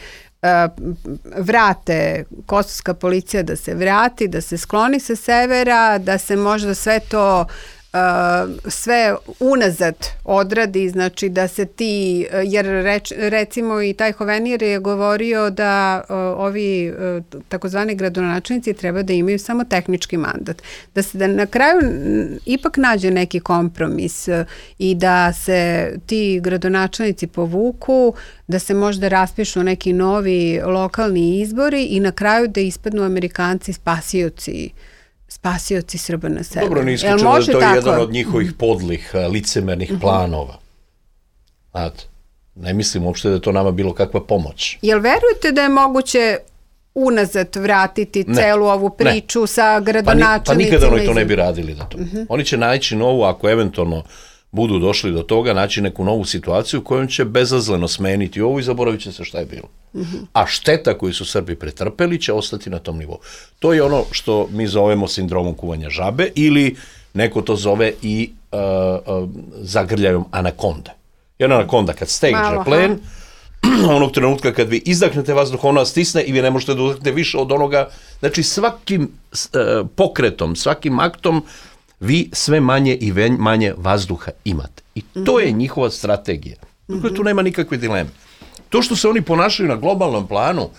Speaker 3: vrate, kosovska policija da se vrati, da se skloni sa severa, da se možda sve to sve unazad odradi, znači da se ti, jer recimo i taj Hovenijer je govorio da ovi takozvani gradonačelnici treba da imaju samo tehnički mandat. Da se da na kraju ipak nađe neki kompromis i da se ti gradonačelnici povuku, da se možda raspišu neki novi lokalni izbori i na kraju da ispadnu Amerikanci spasioci Srba na severu.
Speaker 4: Dobro, ne isključeno da to je jedan od njihovih podlih, licemernih planova. Znate, ne mislim uopšte da je to nama bilo kakva pomoć.
Speaker 3: Jel verujete da je moguće unazad vratiti celu ovu priču sa gradonačelnicima?
Speaker 4: Pa nikada oni to ne bi radili da to. Oni će naći novu, ako eventualno budu došli do toga, naći neku novu situaciju kojom će bezazleno smeniti ovo i zaboravit će se šta je bilo. A šteta koju su Srbi pretrpeli će ostati na tom nivou. To je ono što mi zovemo sindromom kuvanja žabe ili neko to zove i zagrljajom anakonde. Jer anakonda kad stegne plen, onog trenutka kad vi izdahnete vazduh, ona vas stisne i vi ne možete da udahnete više od onoga. Znači svakim pokretom, svakim aktom vi sve manje i manje vazduha imate. I to je njihova strategija. Dakle, tu nema nikakve dileme. To što se oni ponašaju na globalnom planu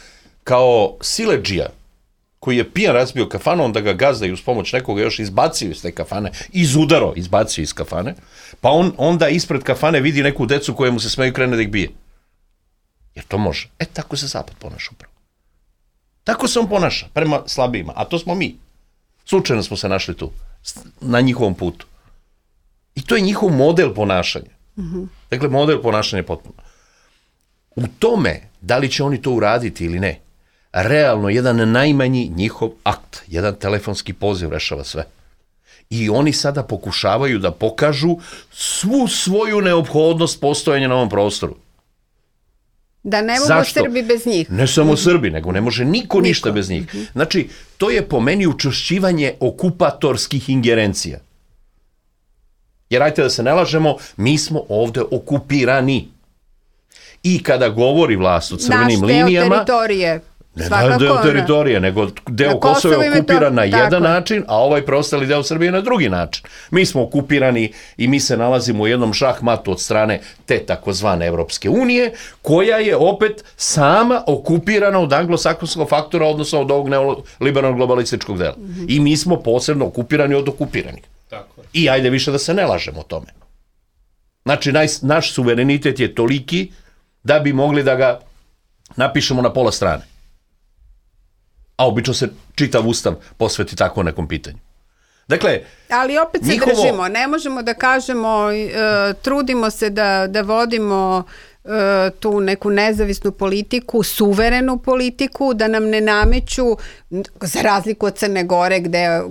Speaker 4: kao siledžija koji je pijan razbio kafanu, onda ga gazda i uz pomoć nekoga još izbacio iz te kafane, izbacio iz kafane, pa on onda ispred kafane vidi neku decu koja mu se smeju, krene da ih bije. Jer to može. Tako se Zapad ponaša upravo. Tako se on ponaša prema slabijima, a to smo mi. Slučajno smo se našli tu, na njihovom putu. I to je njihov model ponašanja. Dakle, model ponašanja je potpuno. U tome, da li će oni to uraditi ili ne, realno jedan najmanji njihov akt, jedan telefonski poziv rešava sve. I oni sada pokušavaju da pokažu svu svoju neophodnost postojanja na ovom prostoru.
Speaker 3: Da ne mogu Srbi bez njih.
Speaker 4: Ne samo Srbi, nego ne može niko ništa bez njih. Znači, to je po meni učvršćivanje okupatorskih ingerencija. Jer ajte da se ne lažemo, mi smo ovde okupirani. I kada govori vlast o crvenim linijama, Ne deo teritorije, nego deo Kosova je okupiran na jedan način, a ovaj preostali deo Srbije na drugi način. Mi smo okupirani i mi se nalazimo u jednom šahmatu od strane te takozvane Evropske unije, koja je opet sama okupirana od anglosaksonskog faktora, odnosno od ovog neoliberalnog globalističkog dela. I mi smo posebno okupirani od okupiranih.
Speaker 5: Tako je.
Speaker 4: I ajde više da se ne lažemo o tome. Znači, naš suverenitet je toliki da bi mogli da ga napišemo na pola strane. A obično se čitav ustav posveti tako nekom pitanju. Dakle,
Speaker 3: ali opet se držimo, ne možemo da kažemo, trudimo se da vodimo tu neku nezavisnu politiku, suverenu politiku, da nam ne nameću, za razliku od Crne Gore,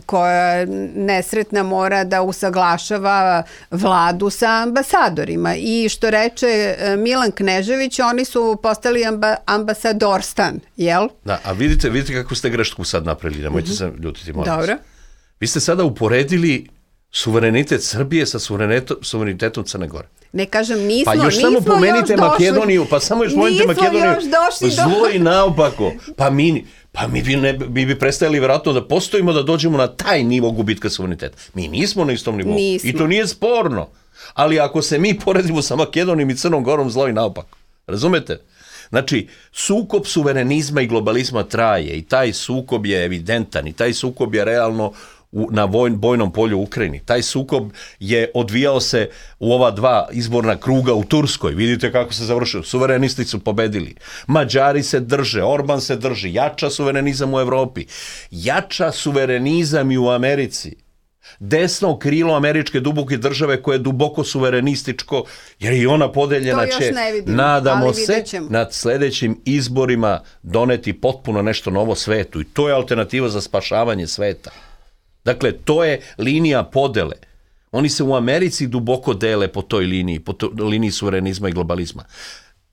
Speaker 3: koja nesretna mora da usaglašava vladu sa ambasadorima. I što reče Milan Knežević, oni su postali ambasadorstan, jel?
Speaker 4: Da, a vidite kako ste grešku sad napravili, nemojte se ljutiti, molim vas.
Speaker 3: Dobro.
Speaker 4: Vi ste sada uporedili suverenitet Srbije sa suverenitetom Crne Gore.
Speaker 3: Ne kažem, nismo
Speaker 4: pa još samo pomenite Makedoniju, pa samo još pomenite Makedoniju, zlo i naopako. Mi bi prestajali vjerojatno da postojimo, da dođemo na taj nivo gubitka suvereniteta. Mi nismo na istom nivou. I to nije sporno. Ali ako se mi poredimo sa Makedonijom i Crnom Gorom, zlo i naopako. Razumete? Znači, sukob suverenizma i globalizma traje i taj sukob je evidentan i taj sukob je realno na bojnom polju u Ukrajini. Taj sukob je odvijao se u ova dva izborna kruga u Turskoj. Vidite kako se završio. Suverenisti su pobedili. Mađari se drže, Orban se drži. Jača suverenizam u Evropi. Jača suverenizam i u Americi. Desno krilo američke duboke države koje je duboko suverenističko, jer i ona podeljena će, nadamo se, nad sljedećim izborima doneti potpuno nešto novo svetu. I to je alternativa za spašavanje sveta. Dakle, to je linija podele. Oni se u Americi duboko dele po toj liniji suverenizma i globalizma.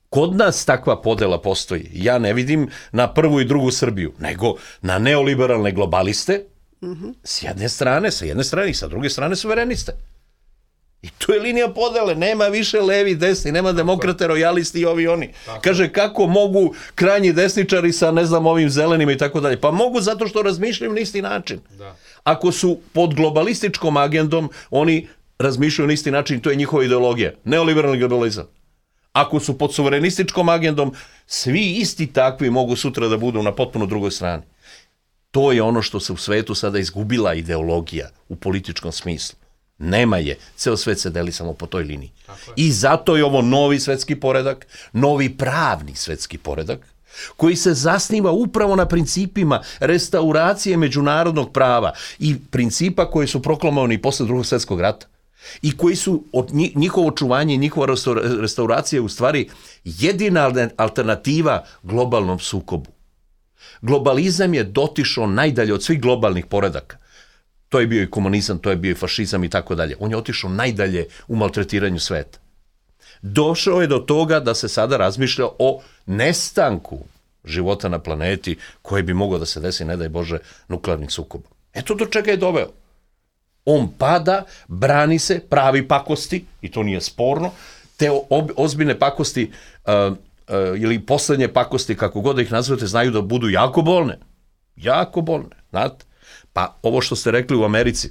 Speaker 4: Kod nas takva podela postoji. Ja ne vidim na prvu i drugu Srbiju, nego na neoliberalne globaliste, s jedne strane i sa druge strane suvereniste. I to je linija podele, nema više levi, desni, nema demokrate, rojalisti i ovi oni. Kaže, kako mogu krajnji desničari sa, ne znam, ovim zelenima i tako dalje? Pa mogu zato što razmišljaju na isti način. Da. Ako su pod globalističkom agendom, oni razmišljaju na isti način, to je njihova ideologija, neoliberalni globalizam. Ako su pod suverenističkom agendom, svi isti takvi mogu sutra da budu na potpuno drugoj strani. To je ono što se u svetu sada izgubila ideologija u političkom smislu. Nema je. Ceo svet se deli samo po toj liniji. I zato je ovo novi svetski poredak, novi pravni svetski poredak, koji se zasniva upravo na principima restauracije međunarodnog prava i principa koji su proklamovani posle Drugog svjetskog rata i koji su od njihovo očuvanje i njihova restauracija u stvari jedina alternativa globalnom sukobu. Globalizam je dotišao najdalje od svih globalnih poredaka. To je bio i komunizam, to je bio i fašizam i tako dalje. On je otišao najdalje u maltretiranju sveta. Došao je do toga da se sada razmišlja o nestanku života na planeti koji bi mogao da se desi, ne daj Bože, nuklearnim sukobom. Eto do čega je doveo. On pada, brani se, pravi pakosti, i to nije sporno, te ozbiljne pakosti ili poslednje pakosti, kako god da ih nazvate, znaju da budu jako bolne. Jako bolne, znate. Pa ovo što ste rekli u Americi,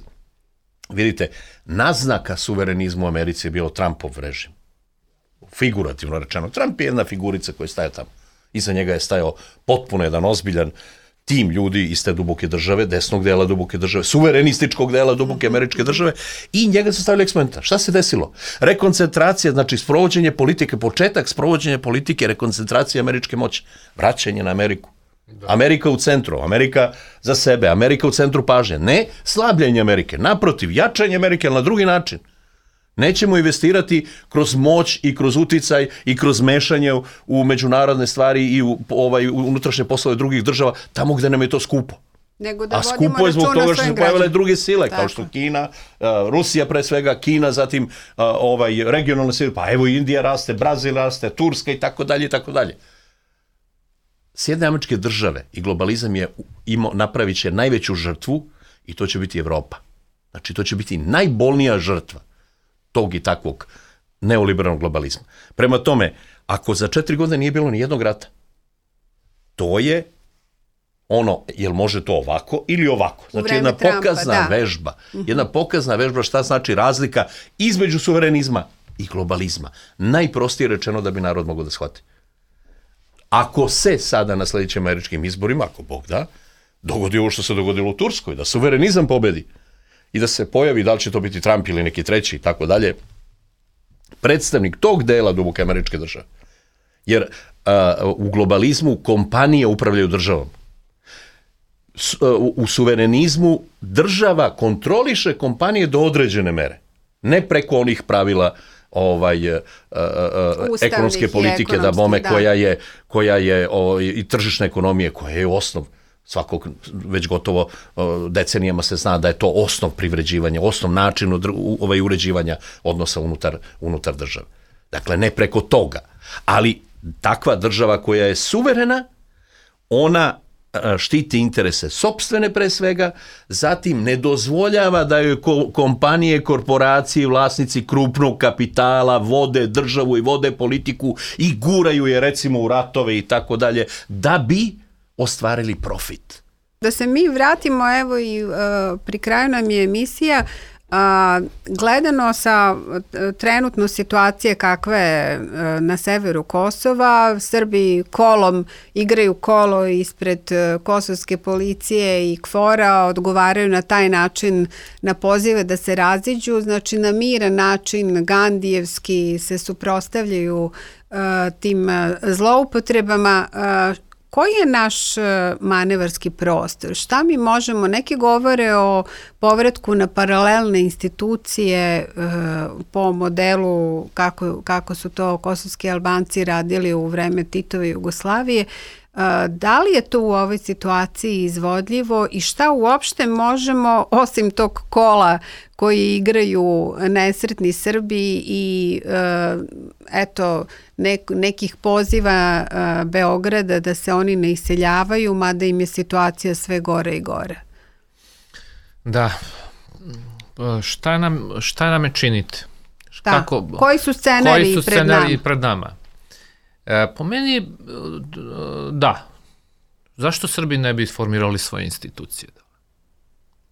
Speaker 4: vidite, naznaka suverenizmu u Americi je bilo Trumpov režim. Figurativno rečeno. Trump je jedna figurica koja je stajao tamo. Iza njega je stajao potpuno jedan ozbiljan tim ljudi iz te duboke države, desnog dela duboke države, suverenističkog dela duboke američke države, i njega su stavili eksperimenta. Šta se desilo? Rekoncentracija, znači sprovođenje politike, početak sprovođenja politike, rekoncentracija američke moći, vraćanje na Ameriku. Amerika u centru, Amerika za sebe, Amerika u centru pažnje. Ne slabljenje Amerike, naprotiv, jačanje Amerike, ali na drugi način. Nećemo investirati kroz moć i kroz uticaj i kroz mešanje u međunarodne stvari i u unutrašnje poslove drugih država, tamo gde nam je to skupo. A skupo je zbog toga što su pojavile druge sile, kao što Kina, Rusija pre svega, Kina, zatim regionalne sile, pa evo Indija raste, Brazil raste, Turska i tako dalje i tako dalje. Sjedinjene američke države i globalizam je napravit će najveću žrtvu i to će biti Evropa. Znači to će biti najbolnija žrtva tog i takvog neoliberalnog globalizma. Prema tome, ako za 4 godine nije bilo ni jednog rata, to je jel može to ovako ili ovako. Znači jedna pokazna vežba. Jedna pokazna vežba šta znači razlika između suverenizma i globalizma. Najprostije rečeno da bi narod mogao da shvati. Ako se sada na sljedećim američkim izborima, ako Bog da, dogodi ovo što se dogodilo u Turskoj, da suverenizam pobedi i da se pojavi, da li će to biti Trump ili neki treći i tako dalje, predstavnik tog dela duboke američke države. Jer u globalizmu kompanije upravljaju državom. U suverenizmu država kontroliše kompanije do određene mere. Ne preko onih pravila ekonomske politike da bome koja je i tržišne ekonomije koja je osnov svakog, već gotovo decenijama se zna da je to osnov privređivanja, osnov način uređivanja odnosa unutar države. Dakle, ne preko toga. Ali takva država koja je suverena, ona štiti interese sopstvene pre svega, zatim ne dozvoljava da joj kompanije, korporacije, vlasnici krupnog kapitala vode državu i vode politiku i guraju je recimo u ratove i tako dalje, da bi ostvarili profit.
Speaker 3: Da se mi vratimo, evo i pri kraju nam je emisija, gledano sa trenutno situacije kakva je na severu Kosova, Srbi igraju kolo ispred kosovske policije i KFOR-a, odgovaraju na taj način na pozive da se raziđu, znači na miran način, gandijevski se suprotstavljaju tim zloupotrebama. Koji je naš manevarski prostor? Šta mi možemo? Neki govore o povratku na paralelne institucije po modelu kako su to kosovski Albanci radili u vreme Titove Jugoslavije. Da li je to u ovoj situaciji izvodljivo i šta uopšte možemo, osim tog kola koji igraju nesretni Srbi i nekih poziva Beograda da se oni ne iseljavaju, mada im je situacija sve gore i gore?
Speaker 5: Da. Šta nam je činiti?
Speaker 3: Koji su scenariji
Speaker 5: pred nama? Po meni, da. Zašto Srbi ne bi formirali svoje institucije?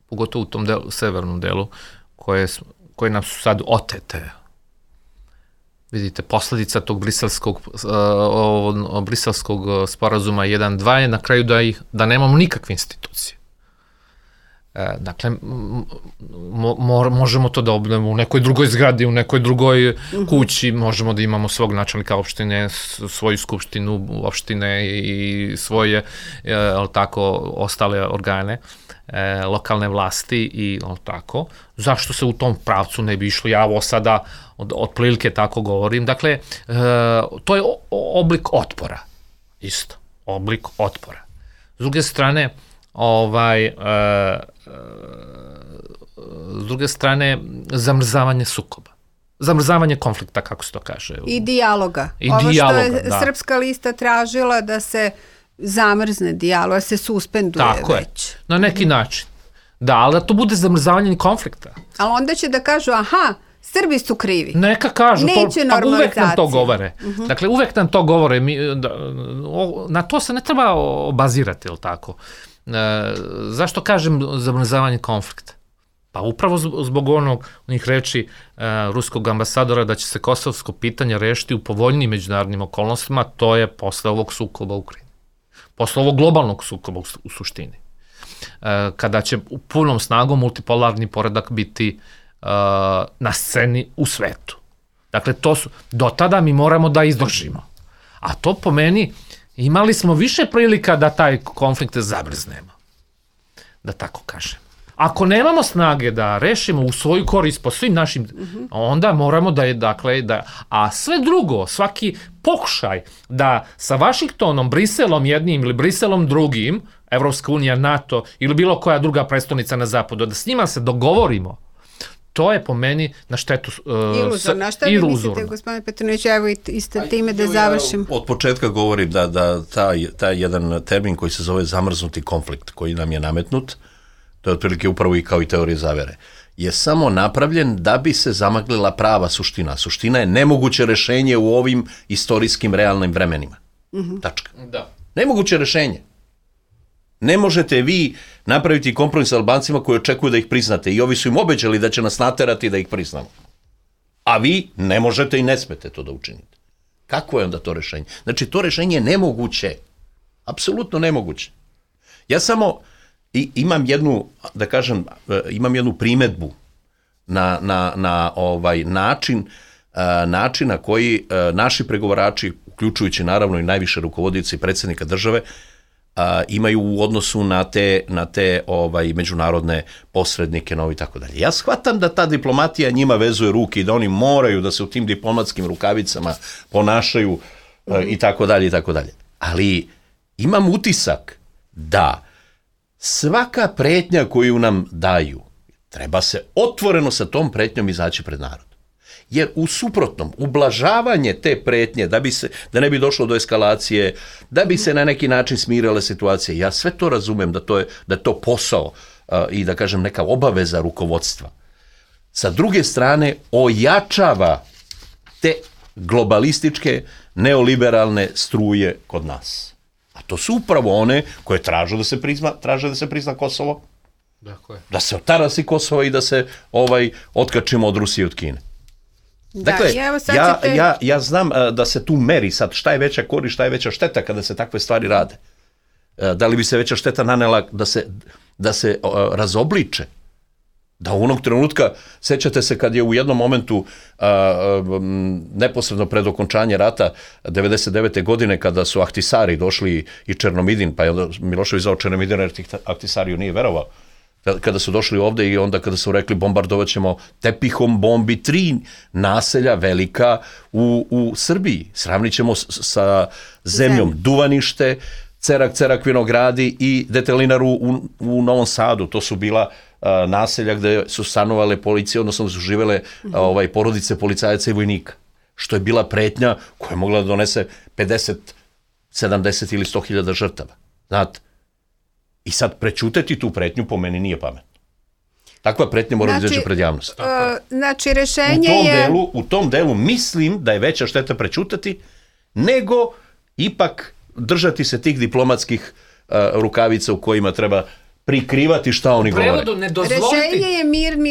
Speaker 5: Pogotovo u tom severnom delu koje nam su sad otete. Vidite, posljedica tog briselskog sporazuma 1.2 je na kraju da nemamo nikakve institucije. Dakle, možemo to da obnovimo u nekoj drugoj zgradi, u nekoj drugoj kući, možemo da imamo svog načelnika opštine, svoju skupštinu opštine i svoje ostale organe lokalne vlasti i tako. Zašto se u tom pravcu ne bi išlo? Ja ovo sada otprilike tako govorim. Dakle, to je oblik otpora. Isto, oblik otpora. S druge zamrzavanje sukoba. Zamrzavanje konflikta, kako se to kaže.
Speaker 3: I dijaloga. Ovo što je Srpska lista tražila da se zamrzne dijalog, da se suspenduje već.
Speaker 5: Tako je, na neki način. Da, ali da to bude zamrzavanje konflikta.
Speaker 3: Ali onda će da kažu, Srbi su krivi.
Speaker 5: Neka kažu, uvek nam to govore. Dakle, uvek nam to govore. Na to se ne treba obazirati, jel tako? Zašto kažem zamrzavanje konflikta? Pa upravo zbog onih reči ruskog ambasadora da će se kosovsko pitanje rešiti u povoljnim međunarodnim okolnostima, to je posle ovog sukoba u Ukrajini. Posle ovog globalnog sukoba u suštini. Kada će u punom snagom multipolarni poredak biti na sceni u svetu. Dakle, do tada mi moramo da izdržimo. A to po meni imali smo više prilika da taj konflikt zamrznemo. Da tako kažem. Ako nemamo snage da rešimo u svoju korist po svim našim, onda moramo a sve drugo, svaki pokušaj da sa Vašingtonom, Briselom jednim ili Briselom drugim, Evropska unija, NATO ili bilo koja druga prestonica na zapadu, da s njima se dogovorimo, to je po meni na štetu
Speaker 3: iluzorno. Šta vi mislite, gospodine Petronić, evo isto time da završim?
Speaker 4: Od početka govorim da taj jedan termin koji se zove zamrznuti konflikt, koji nam je nametnut, to je otprilike upravo i kao i teorija zavere, je samo napravljen da bi se zamaglila prava suština. Suština je nemoguće rešenje u ovim istorijskim realnim vremenima. Tačka.
Speaker 5: Da.
Speaker 4: Nemoguće rešenje. Ne možete vi napraviti kompromis sa Albancima koji očekuju da ih priznate i ovi su im obećali da će nas naterati da ih priznamo. A vi ne možete i ne smete to da učinite. Kako je onda to rešenje? Znači, to rešenje je nemoguće. Apsolutno nemoguće. Ja samo imam jednu, da kažem, imam jednu primedbu na način na koji naši pregovarači, uključujući naravno i najviše rukovodioci predsjednika države, imaju u odnosu na te međunarodne posrednike, novi i tako dalje. Ja shvatam da ta diplomatija njima vezuje ruke i da oni moraju da se u tim diplomatskim rukavicama ponašaju i tako dalje i tako dalje. Ali imam utisak da svaka pretnja koju nam daju, treba se otvoreno sa tom pretnjom izaći pred narod. Jer u suprotnom, ublažavanje te pretnje, da ne bi došlo do eskalacije, da bi se na neki način smirale situacije, ja sve to razumem da je to posao i da kažem neka obaveza rukovodstva. Sa druge strane, ojačava te globalističke, neoliberalne struje kod nas. A to su upravo one koje traže da se prizna Kosovo, da se otarasi Kosovo i da se otkačimo od Rusije i od Kine. Dakle, ja znam da se tu meri sad šta je veća korist, šta je veća šteta kada se takve stvari rade. Da li bi se veća šteta nanela da se razobliče? Da u onog trenutka, sećate se kad je u jednom momentu neposredno pred okončanje rata 99. godine kada su Ahtisari došli i Černomidin, pa je onda Milošević zvao Černomidina jer Ahtisariju nije verovao. Kada su došli ovde i onda kada su rekli bombardovat ćemo tepihom bombi 3 naselja velika u Srbiji. Sravnit ćemo sa zemljom Duvanište, Cerak Vinogradi i Detelinaru u Novom Sadu. To su bila naselja gde su stanovale policije, odnosno su živele porodice policajaca i vojnika. Što je bila pretnja koja je mogla da donese 50, 70 ili 100.000 žrtava. Znate? I sad prećutati tu pretnju po meni nije pametno. Takva pretnja mora da izađe pred javnost.
Speaker 3: Znači, rešenje je...
Speaker 4: U tom delu mislim da je veća šteta prećutati nego ipak držati se tih diplomatskih rukavica u kojima treba prikrivati šta oni govore.
Speaker 3: Rešenje je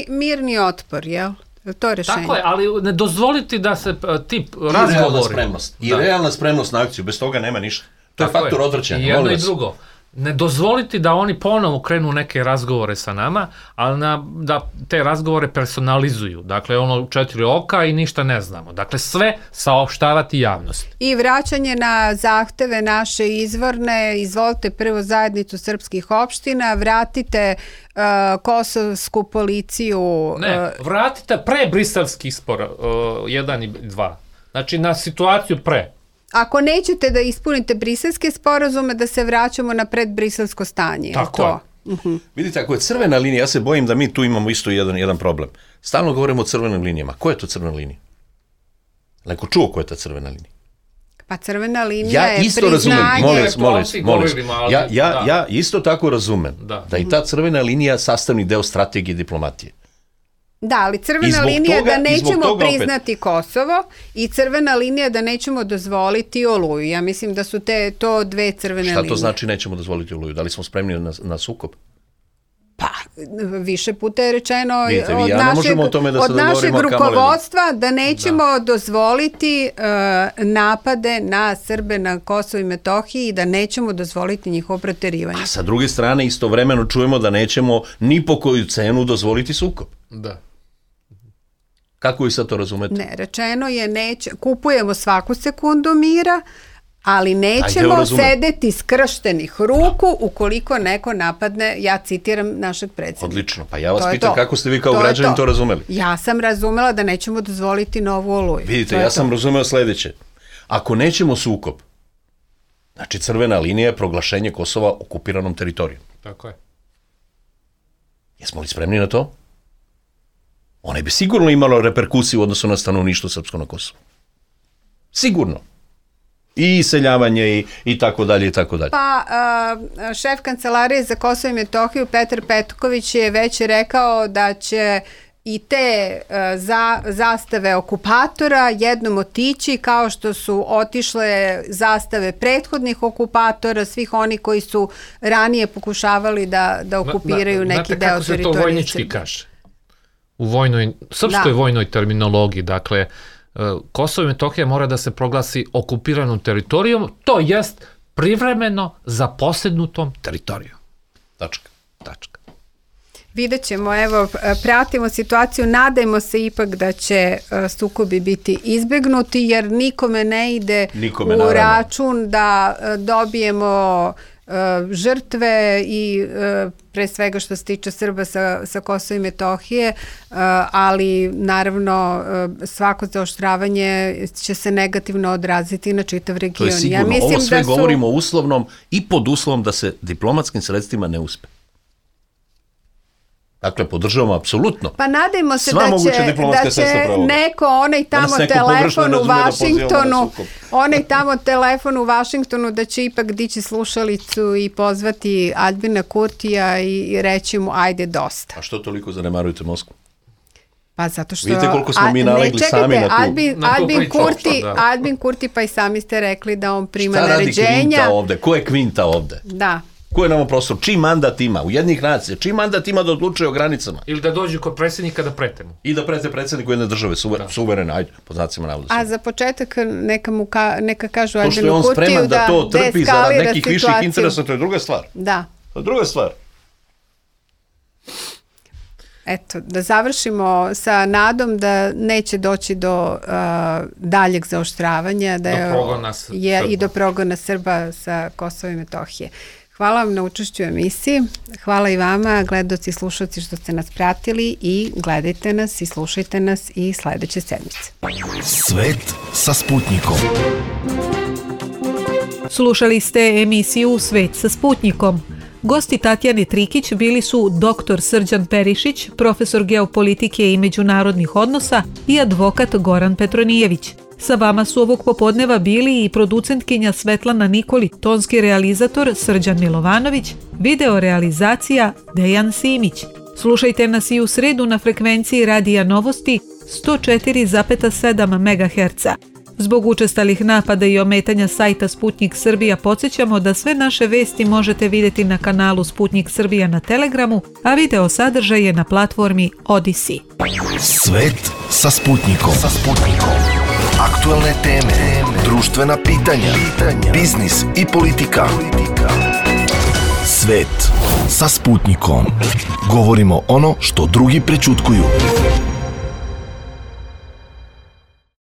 Speaker 3: mirni otpor, jel? To je rešenje.
Speaker 5: Tako je, ali ne dozvoliti da se ti razgovori...
Speaker 4: I realna spremnost na akciju, bez toga nema ništa. To je faktor odvraćanja.
Speaker 5: I jedno i drugo. Ne dozvoliti da oni ponovo krenu neke razgovore sa nama, ali da te razgovore personalizuju. Dakle, 4 oka i ništa ne znamo. Dakle, sve saopštavati javnosti.
Speaker 3: I vraćanje na zahteve naše izvorne, izvolite prvo zajednicu srpskih opština, vratite kosovsku policiju...
Speaker 5: Ne, vratite pre briselskih spora, 1 i 2. Znači, na situaciju pre.
Speaker 3: Ako nećete da ispunite briselske sporazume, da se vraćamo na predbriselsko stanje.
Speaker 5: Tako je.
Speaker 4: Vidite, ako je crvena linija, ja se bojim da mi tu imamo isto jedan problem. Stalno govorimo o crvenim linijama. Ko je to crvena linija? Neko čuo ko je ta crvena linija?
Speaker 3: Pa crvena linija je priznanje.
Speaker 4: Molim. Ja isto tako razumem da je ta crvena linija sastavni deo strategije diplomatije.
Speaker 3: Da, ali crvena linija da nećemo priznati Kosovo i crvena linija da nećemo dozvoliti Oluju. Ja mislim da su to dve crvene linije.
Speaker 4: Šta to znači nećemo dozvoliti Oluju? Da li smo spremni na sukob?
Speaker 3: Pa, više puta je rečeno od našeg rukovodstva da nećemo dozvoliti napade na Srbe na Kosovo i Metohiji i da nećemo dozvoliti njihovo proterivanje.
Speaker 4: A sa druge strane istovremeno čujemo da nećemo ni po koju cenu dozvoliti sukob.
Speaker 5: Da.
Speaker 4: Kako vi sad to razumete?
Speaker 3: Ne, rečeno je kupujemo svaku sekundu mira, ali nećemo sedeti skrštenih ruku ukoliko neko napadne, ja citiram našeg predsjednika.
Speaker 4: Odlično, pa ja vas pitam kako ste vi kao građanin to razumeli?
Speaker 3: Ja sam razumela da nećemo dozvoliti novu Oluju.
Speaker 4: Vidite, ja sam razumeo sledeće. Ako nećemo sukob, znači crvena linija je proglašenje Kosova okupiranom teritorijom.
Speaker 5: Tako je.
Speaker 4: Jesmo li spremni na to? One bi sigurno imalo reperkusiju u odnosu na stanovništvo srpsko na Kosovu. Sigurno. I iseljavanje i tako dalje i tako dalje.
Speaker 3: Pa šef kancelarije za Kosovo i Metohiju Petar Petković je već rekao da će i te zastave okupatora jednom otići kao što su otišle zastave prethodnih okupatora, svih oni koji su ranije pokušavali da okupiraju neki deo teritorije.
Speaker 5: Znate kako se to vojnički kaže? U srpskoj vojnoj terminologiji, dakle, Kosovo i Metohija mora da se proglasi okupiranom teritorijom, to jest privremeno zaposednutom teritorijom.
Speaker 4: Tačka.
Speaker 3: Vidjet ćemo, evo, pratimo situaciju, nadajmo se ipak da će sukobi biti izbegnuti, jer nikome ne ide u račun da dobijemo žrtve i pre svega što se tiče Srba sa Kosova i Metohije, ali naravno svako zaoštravanje će se negativno odraziti na čitav region.
Speaker 4: To je sigurno, ovo sve govorimo uslovnom i pod uslovom da se diplomatskim sredstvima ne uspe. Dakle, podržavamo apsolutno.
Speaker 3: Pa nadajmo se da će neko onaj tamo telefon u Vašingtonu da će ipak dići slušalicu i pozvati Aljbina Kurtija i reći mu ajde dosta.
Speaker 4: A što toliko zanemarujete Moskvu?
Speaker 3: Pa zato što...
Speaker 4: Vidite koliko smo mi nalegli sami na tu...
Speaker 3: Aljbin Kurti, pa i sami ste rekli da on prima naređenja.
Speaker 4: Šta radi kvinta ovde? Ko je kvinta ovde?
Speaker 3: Da.
Speaker 4: Ko je nama prostor? Čiji mandat ima? U jednih nacija. Čiji mandat ima da odlučuje o granicama?
Speaker 5: Ili da dođu kod predsjednika da prete mu.
Speaker 4: I da prete predsjedniku jedne države, suverene, ajde, pod znacima navoda.
Speaker 3: A za početak neka kažu Aljbinu Kurtiju
Speaker 4: to što je on spreman da to trpi zarad nekih viših interesa, to je druga stvar.
Speaker 3: Da.
Speaker 4: To je druga stvar.
Speaker 3: Eto, da završimo sa nadom da neće doći do daljeg zaoštravanja i do progona Srba sa Kosova i Metohije. Hvala vam na učešću u emisiji. Hvala i vama, gledaoci i slušalci, što ste nas pratili i gledajte nas i slušajte nas i sledeće sedmice.
Speaker 1: Svet sa Sputnikom.
Speaker 2: Slušali ste emisiju Svet sa Sputnikom. Gosti Tatjane Trikić bili su dr. Srđan Perišić, profesor geopolitike i međunarodnih odnosa i advokat Goran Petronijević. Sa vama su ovog popodneva bili i producentkinja Svetlana Nikoli, tonski realizator Srđan Milovanović, video realizacija Dejan Simić. Slušajte nas i u sredu na frekvenciji Radija Novosti 104,7 MHz. Zbog učestalih napada i ometanja sajta Sputnik Srbija podsjećamo da sve naše vesti možete vidjeti na kanalu Sputnik Srbija na Telegramu, a video sadržaj je na platformi Odyssey.
Speaker 1: Svet sa Sputnikom. Aktualne teme, društvena pitanja, biznis i politika. Svet sa Sputnikom. Govorimo ono što drugi prećutkuju.